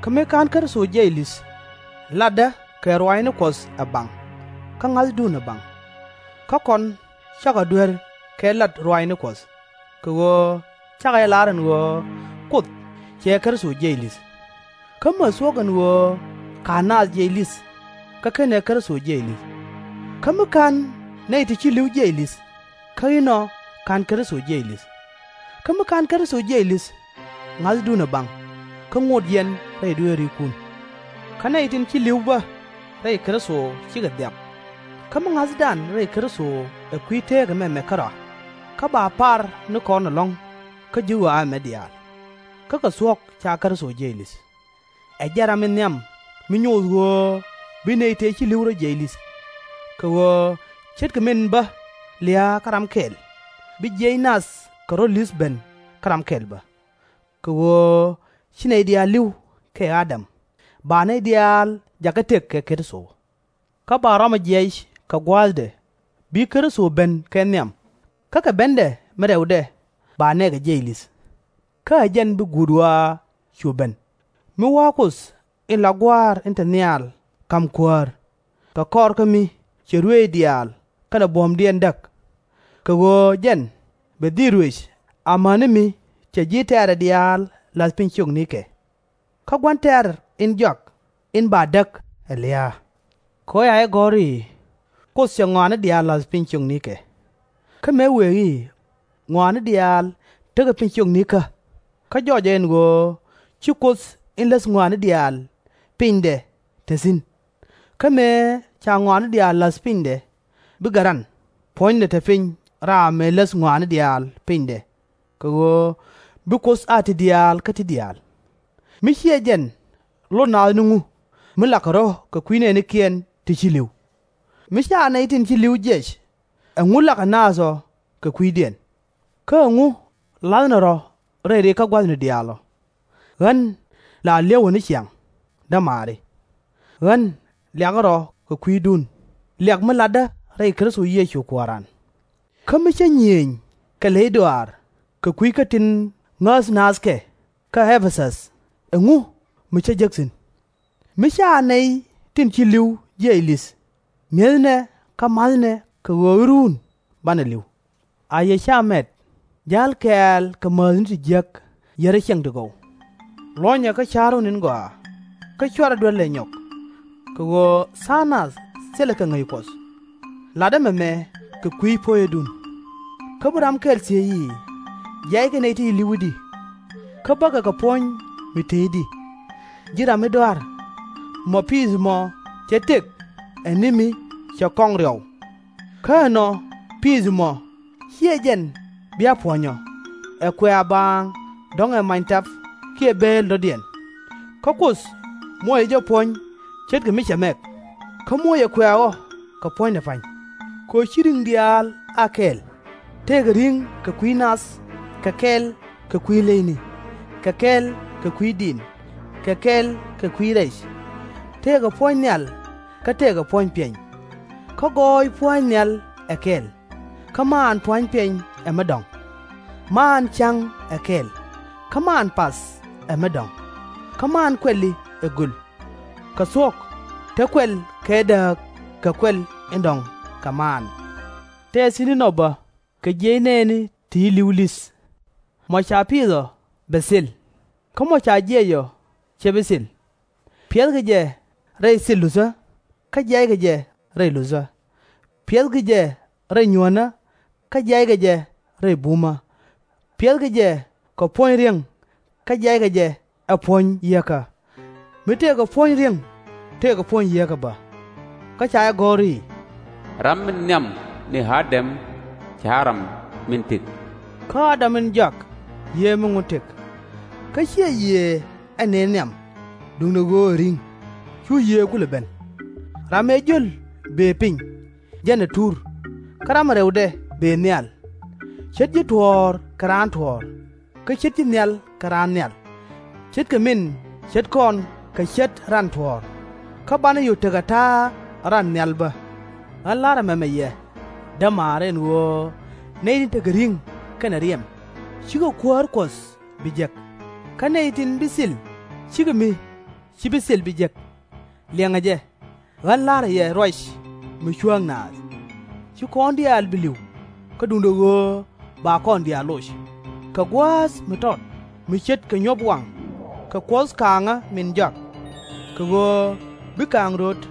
Kä mi /ka̱n Kritho jiɛc li̱th, latdä kɛ ruaacni Kuɔth ɛ baŋ, kä ŋa̱thdun ɛ baŋ. Kä kɔn cakɔ duer kɛ lat ruaacni Kuɔth, kɛ ɣöö cakɔ jɛ lar ɛn ɣöö Kuoth cɛ Kritho jiɛc li̱th. Kä mi ɛ thuɔ̱k ɛn ɣöö /ka̱n naath jiɛc li̱th, kä /kenɛ Kritho jiɛc li̱th. Kä mi /ka̱n nɛy ti ci li̱w jiɛc li̱th, kä inɔ /ka̱n Kritho jiɛc li̱th. Kä mi /ka̱n Kritho jiɛc li̱th, ŋa̱thdun ɛ baŋ, kä ŋot yɛn rɛy dueerikun. Kä nɛy tin ci li̱w bä rɛy Kritho cikɛ dhiap. Kä mi ŋa̱thdan rɛy Kritho ɛ kui̱ teekä mɛmɛ kärɔa, kä ba par ni kɔn ɛlɔ̱ŋ kä ji̱ ɣɔaa ɛmɛ diaal. Kä kɛ thuɔ̱k ca Kritho jiɛc li̱th. Ɛ jɛn ram in nhiam mi nyoth ɣöö bi nɛy tëë ci li̱w rɔ jiɛc li̱th. Kɛ ɣöö ce̱tkɛ min bä lia̱a̱ kä ram kɛl, bi jiɛc nath kɛ rɔ̱ li̱th ben kä ram kɛl bä. Kɛ ɣöö ci nɛy diaal li̱w kɛ Adam, ba nɛy diaal jakä tëk kɛ Kritho. Kä ba rɔmɔ jiɛc kɛ gua̱a̱thdɛ, bi Kritho ben kɛ nhiam, kä kɛ bendɛ mi rɛwdɛ ba nɛɛkɛ jiɛc li̱th. Kä ɛ jɛn bi guut ɣɔaa cu ben, mi wa̱a̱ Kuoth in la Gua̱a̱r in te nhial ka̱m Kuäär, kɛ kɔr kä mi cɛ ruëëc diaal kɛnɛ buɔ̱mdiɛn däk. Kɛ ɣöö jɛn bɛ dhil ruëc amäni mi cɛ ji̱ tɛ̈rɛ diaal la̱th piny ciöknikɛ. Kä gua̱n tɛ̈r in jɔak in ba däk ɛ lia̱a̱. Kɛ ɣöö ca jɛ gɔ̱r i̱, Kuoth cɛ ŋɔaani diaal la̱th piny ciöknikɛ. Kä mëë wëë i̱, Ŋɔaani diaal tekɛ piny ciöknikä, kä jɔɔcɛ ɛn ɣöö ci Kuoth in läth ŋɔaani diaal pinydɛ te thi̱n. Kä mëë ca ŋɔaani diaal la̱th pinydɛ, bi Garan puɔ̱nydɛ te piny raam mëë läth ŋɔaani diaal pinydɛ, kɛ ɣöö bi Kuoth a ti diaal kä ti diaal. Mi /ciɛ jɛn, lot naath ni ŋu mi lakɛ rɔ̱ kɛ kui̱ nɛɛnikiɛn ti ci li̱w? Mi /ca nɛy tin ci li̱w jiɛc, ɛŋu lakɛ naath ɔ kɛ kui̱diɛn? Kä ɛŋu la̱thnɛ rɔ̱ rɛy rikä gua̱thni diaal ɔ? Ɣän la li̱eewä ni ciaŋ, dämaari. Ɣän liakɛ rɔ̱ kɛ kui̱dun, liak mi latdä rɛy Kritho Yecu Kuääran. Kä mi cä nyiëëny kɛ ley dɔaar kɛ kui̱ kä tin ŋäth naath kɛ kä Ɛ-pɛ-thäth, ɛŋu mi cä jek thi̱n? Mi /ca nɛy tin ci li̱w jiɛc li̱th, mi̱ethnɛ kä ma̱thnɛ kɛ ɣöö i̱ ruun banɛ li̱w. A yɛ /ca mɛt, ja̱l kɛɛl kɛ määthni ti jiäk yärä ciɛŋ ti gɔw. Luɔ̱nyɛ kä ca̱ru ni̱n gɔaa, kä /cuarɛ duer lɛ nyɔk, kɛ ɣöö tha̱a̱ŋ nath thilɛ kɛ ŋäc Kuɔth. Latdä mɛmɛ kɛ kui̱ puɔ̱nyädun. Kä bi ram kɛl thiec i̱, jiackɛ nɛy ti ci li̱w i̱di, kä bäkɛ kɛ puɔ̱ny mi tëëcdi. Ji̱ ram mi dɔ̱a̱r, mɔ piith mɔ cɛ tëk ɛ ni mi cɛ kɔŋ riɔw. Kä ɛnɔ piith mɔ /ciɛ jɛn bi a puɔ̱ny ɔ, ɛ kuɛ a baaŋ dɔ̱ŋ ɛ many tap kiɛ bëël dɔ̱diɛn. Kä Kuoth muɔcɛ jɛ puɔ̱ny ce̱tkɛ mi cɛ mɛk, kä muɔcɛ kuɛ ɣɔ̱ kɛ puɔ̱nydɛ pa̱ny. Kɛ ɣöö /ci ri̱ŋ diaal a kɛl, tëëkɛ ri̱ŋ kɛ kui̱ nath, kɛ kɛl kɛ kui̱ leyni, kɛ kɛl kɛ kui̱ di̱i̱n, kɛ kɛl kɛ kui̱ rɛc. Tëëkɛ puɔ̱ny nhial kä tëëkɛ puɔ̱ny piɛny. Kä gɔɔy pua̱a̱ny nhial ɛ kɛl, kä maan pua̱a̱ny piɛny ɛ mi dɔ̱ŋ. Maan ca̱ŋ ɛ kɛl, kä maan path ɛ mi dɔ̱ŋ. Kä maan kuɛli ɛ göl. Kɛ thuɔ̱k, te kuɛl kɛ dääk kɛ kuɛl in dɔ̱ŋ kɛ maan. Tɛɛth thi̱n inɔ bä kɛ jiɛc nɛɛni ti ci li̱w li̱th. Mɔ ca piith ɔ, bɛ thil. Kä mɔ ca jiɛc ɔ, /cɛ bi thil. Piɛthkɛ jɛ rɛy thil luthä, kä jiackɛ jɛ rɛy luthä. Piɛthkɛ jɛ rɛy nyuänä, kä jiackɛ jɛ rɛy bumä. Piɛthkɛ jɛ kɛ puɔ̱ny ri̱eŋ, kä jiackɛ jɛ ɛ puɔ̱ny yieekä. Mi tëëkɛ puɔ̱ny ri̱eŋ, tëëkɛ puɔ̱ny yieekä bä. Kä ca jɛ gɔ̱r i̱, Ram min nhiam ni Ä-däm /cɛ ɣa̱ ram min tëk. Kä Ä-däm in jɔak yiëë mi ŋun tëk. Kä /ciɛ yiëë ɛ nën nhiam, duundɛ ɣöö ɛ ri̱ŋ, cu yiëë kulɛ ben. Ram ëë jiöl bëë piny, jɛn ɛ tur, kä ram ɛ rɛwdɛ bëë nhial. Ce̱t ji̱ tuɔ̱ɔ̱r kɛ raan tuɔ̱ɔ̱r, kä ce̱t ji̱ nhial kɛ raan nhial. Ce̱tkɛ min ce̱t kɔn kɛ ce̱t ran tuɔ̱ɔ̱r, kä banɛ cu tekɛ ta̱a̱ ran nhial bä. Ɣän la̱rä mɛmɛ yɛ, dämaari, ɛn ɣöö nɛy tin tekɛ ri̱ŋ kɛnɛ riɛm, /cikɛ Kuäär Kuɔth bi jek. Kä nɛy tin bi thil, /cikɛ mi ci bi thil bi jek. Liɛŋɛ jɛ, ɣän la̱rä yɛ ruac mi cuääŋ naath. /Ci kɔn diaal bi li̱w, kä duundɛ ɣöö ba kɔn diaal loc. Kɛ gua̱a̱th mi tɔt mi ce̱tkɛ nyuɔ̱p waŋ kɛ Kuɔth kaaŋä min jɔak, kɛ ɣöö bi kaaŋ röt,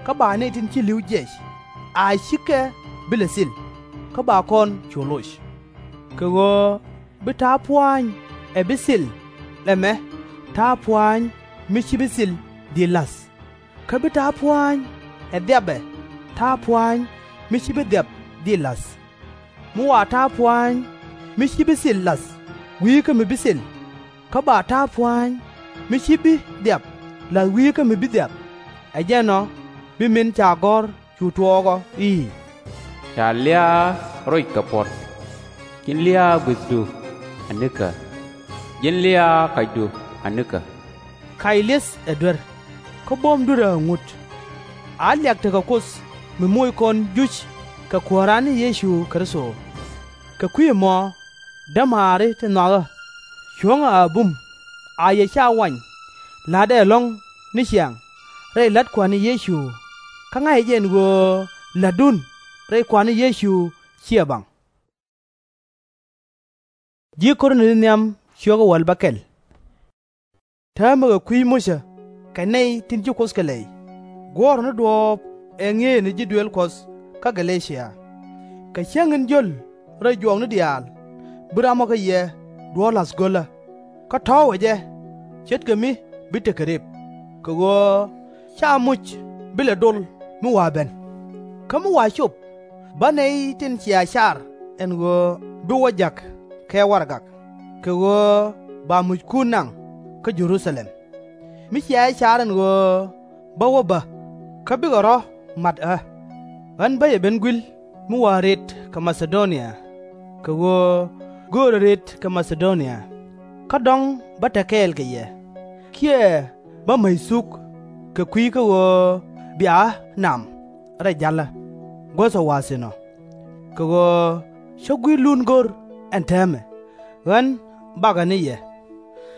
kä ba nɛy tin ci li̱w jiɛc, a /cikɛ bi lɛ thil, kä ba kɔn cu loc. Kɛ ɣöö bi ta̱a̱ pua̱a̱ny ɛ bi thil ɛmɛ ta̱a̱ pua̱a̱ny mi /ci bi thil dhil la̱th. Kä bi ta̱a̱ pua̱a̱ny ɛ dhiapɛ ta̱a̱ pua̱a̱ny mi /ci bi dhiap dhil la̱th. Mi wa ta̱a̱ pua̱a̱ny mi /ci bi thil la̱th wi̱i̱ kä mi bi thil, kä ba ta̱a̱ pua̱a̱ny mi /ci bi dhiap la̱th wi̱i̱ kä mi bi dhiap, ɛ jɛn ɔ bi min ca gɔ̱r cu tuɔɔk ɔ i̱, Ca lia̱a̱ roc kɛ puɔ̱t. Ji̱n lia̱a̱ gui̱thdu anikä. Ji̱n lia̱a̱ kacdu anikä. Kac li̱eth ɛ duer, kä buɔ̱m dui̱rä ɛ ŋut. A liak tekɛ Kuoth mi moc kɔn juc kɛ Kuääran ni Yecu Kritho. Kɛ kui̱ ɛmɔ, dämaari ti nhɔakä, cuɔ̱ŋɛ a bum, a yɛ /ca wany la̱tdɛ ɛlɔ̱ŋ ni ciaŋ rɛy la̱t Kua̱r ni Yecu, kä ŋa̱cɛ jɛ ɛn ɣöö la̱tdun rɛy Kua̱r ni Yecu /ciɛ baŋ. Täämɛ kɛ kui̱ Mucä kɛ nɛy tin ci Kuoth kɛ lɛy, guɔ̱ɔ̱rä ni duɔ̱ɔ̱p ɛ ŋi̱eec ni ji̱ duëël Kuɔth kä Gɛ-lɛ-cia. Kɛ cäŋ in jiöl rɛy juɔkni diaal, bi ram ɔ kä yɛ duɔ̱ɔ̱r la̱th gölä, kä tɔ̱ɔ̱cɛ jɛ ce̱tkɛ mi bi tekɛ rep, kɛ ɣöö /ca muc bi lɛ dol mi wa ben. Kä mi wa cop, bä nɛy tin cia car ɛn ɣöö bi wä jäk kɛ warɛgak, kɛ ɣöö ba muckun naŋ kä Jɛ-ru-tha-lɛm. Mi cia jɛ car ɛn ɣöö bä wä bä, kä bikɛ rɔ̱ mat ɣä. Ɣän bä yɛ ben gui̱l mi wa rët kɛ Ma-tha-do-nia, kɛ ɣöö göörä rët kɛ Ma-tha-do-nia, kä dɔ̱ŋ bä te kɛɛl kɛ yɛ, kiɛ bä mäc thuk kɛ kui̱ kä ɣöö bia ɣä nam rɛy ja̱lä. guäth ɛ wa̱a̱ thi̱n ɔ. Kɛ ɣöö cä gui̱clun go̱r ɛn täämɛ, ɣän bakɛ ni yɛ.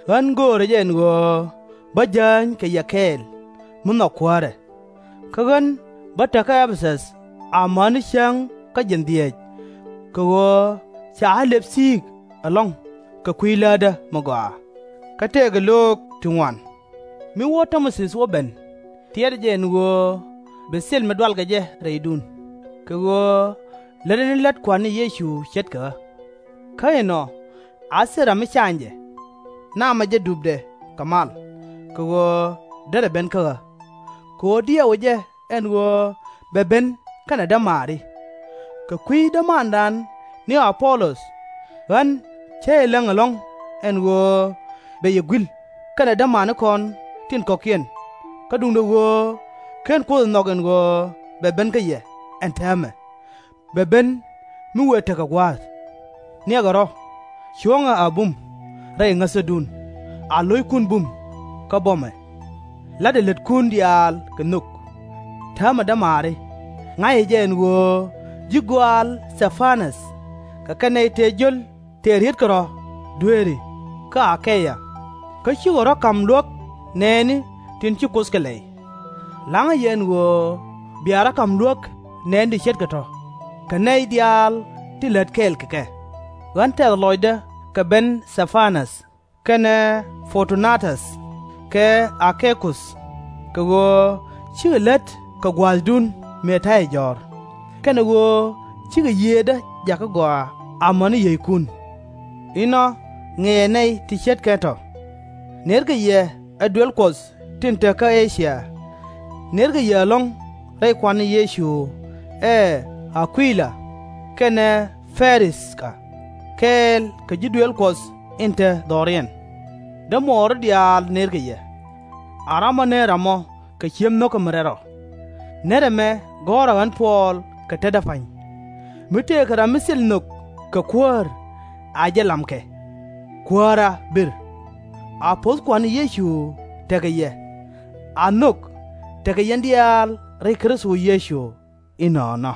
Ɣän göörä jɛ ɛn ɣöö bä jääny kɛ yɛ kɛɛl mi nhɔk kuäärɛ. Kä ɣän bä te kä Ɛ-pɛ-thäth amäni cäŋ kä jiɛn dhieec, kɛ ɣöö ca ɣä lëp thi̱i̱k ɛlɔ̱ŋ kɛ kui̱ läätdä mi gɔaa. Kä tëëkɛ löök ti ŋuan, mi wä Tɛ-mo-thi wä ben, tiɛtdä jɛ ɛn ɣöö bi thil mi dualkɛ jɛ rɛydun, kɛ ɣöö lätdɛ ni lät Kua̱r ni Yecu ce̱tkɛ ɣä. Kä inɔ, a thil ram mi cany jɛ, namɛ jɛ dupdɛ kɛ mal, kɛ ɣöö derɛ ben kä ɣä. Kɛ ɣöö diɛwä jɛ ɛn ɣöö bɛ ben kɛnɛ dämaari. Kɛ kui̱ dämandan ni A-pu-lɔth, ɣän cä jɛ läŋ ɛlɔ̱ŋ ɛn ɣöö bɛ yɛ gui̱l kɛnɛ dämanikɔn tin kɔ̱kiɛn, kä duundɛ ɣöö /ken Kuoth ɛ nhɔk ɛn ɣöö bɛ ben kä yɛ ɛn täämɛ. Bɛ ben mi wëë tekɛ gua̱a̱th. Niɛkɛ rɔ̱, cuɔ̱ŋɛ a bum rɛy ŋäthädun, a lo̱ckun bum kä buɔ̱mɛ. La̱tdɛ lätkun diaal kɛ nhök. Täämɛ dämaari, ŋa̱cä jɛ ɛn ɣöö ji̱ gɔaal Thɛ-pa-näth kɛ kɛn nɛy tëë jiöl tëë rietkɛ rɔ̱ dueeri kä A-ke-ya, kä cikɛ rɔ̱ ka̱m luäk nɛɛni tin ci Kuoth kɛ lɛy. La̱ŋä yɛ ɛn ɣöö bia rɔ̱ ka̱m luäk nɛɛni ti ce̱tkɛ tɔ̱, kɛ nɛy diaal ti lät kɛɛl kɛ kɛ. Ɣän tɛth lɔcdä kɛ ben Thɛ-pa-näth kɛnɛ Fɔr-tu-na-täth kɛ A-ki-kuth, kɛ ɣöö cikɛ lät kɛ gua̱a̱thdun mëë ta̱yɛ jɔ̱ɔ̱r, kɛnɛ ɣöö cikɛ yiëëdä jakä gɔaa amäni yiëëckun. Inɔ ŋiɛcɛ nɛy ti ce̱tkɛ tɔ̱. Nerkɛ yɛ ɛ duel Kuɔth tin te kä E-cia. Nerkɛ yɛ ɛlɔ̱ŋ rɛy Kua̱r ni Yecu, ɛ A-ku-la kɛnɛ Pɛ-ri-th-ka, kɛɛl kɛ ji̱ duëël Kuɔth in te dhɔriɛn. Dämuɔɔri diaal nerkɛ yɛ. A ram ɔ ner ram ɔ kɛ ci̱em nho̱kä mi rɛl rɔ. Nɛr ɛmɛ gɔ̱rä ɣän Puɔl kɛ tetdä pa̱ny. Mi tëëkɛ ram mi thil nhök kɛ kuäär, a jɛ lamkɛ. Kuäärä bir. A puɔ̱th Kua̱r ni Yecu tekɛ yɛ. A nhök tekɛ yɛn diaal rɛy Kritho Yecu. Inɔnɔ.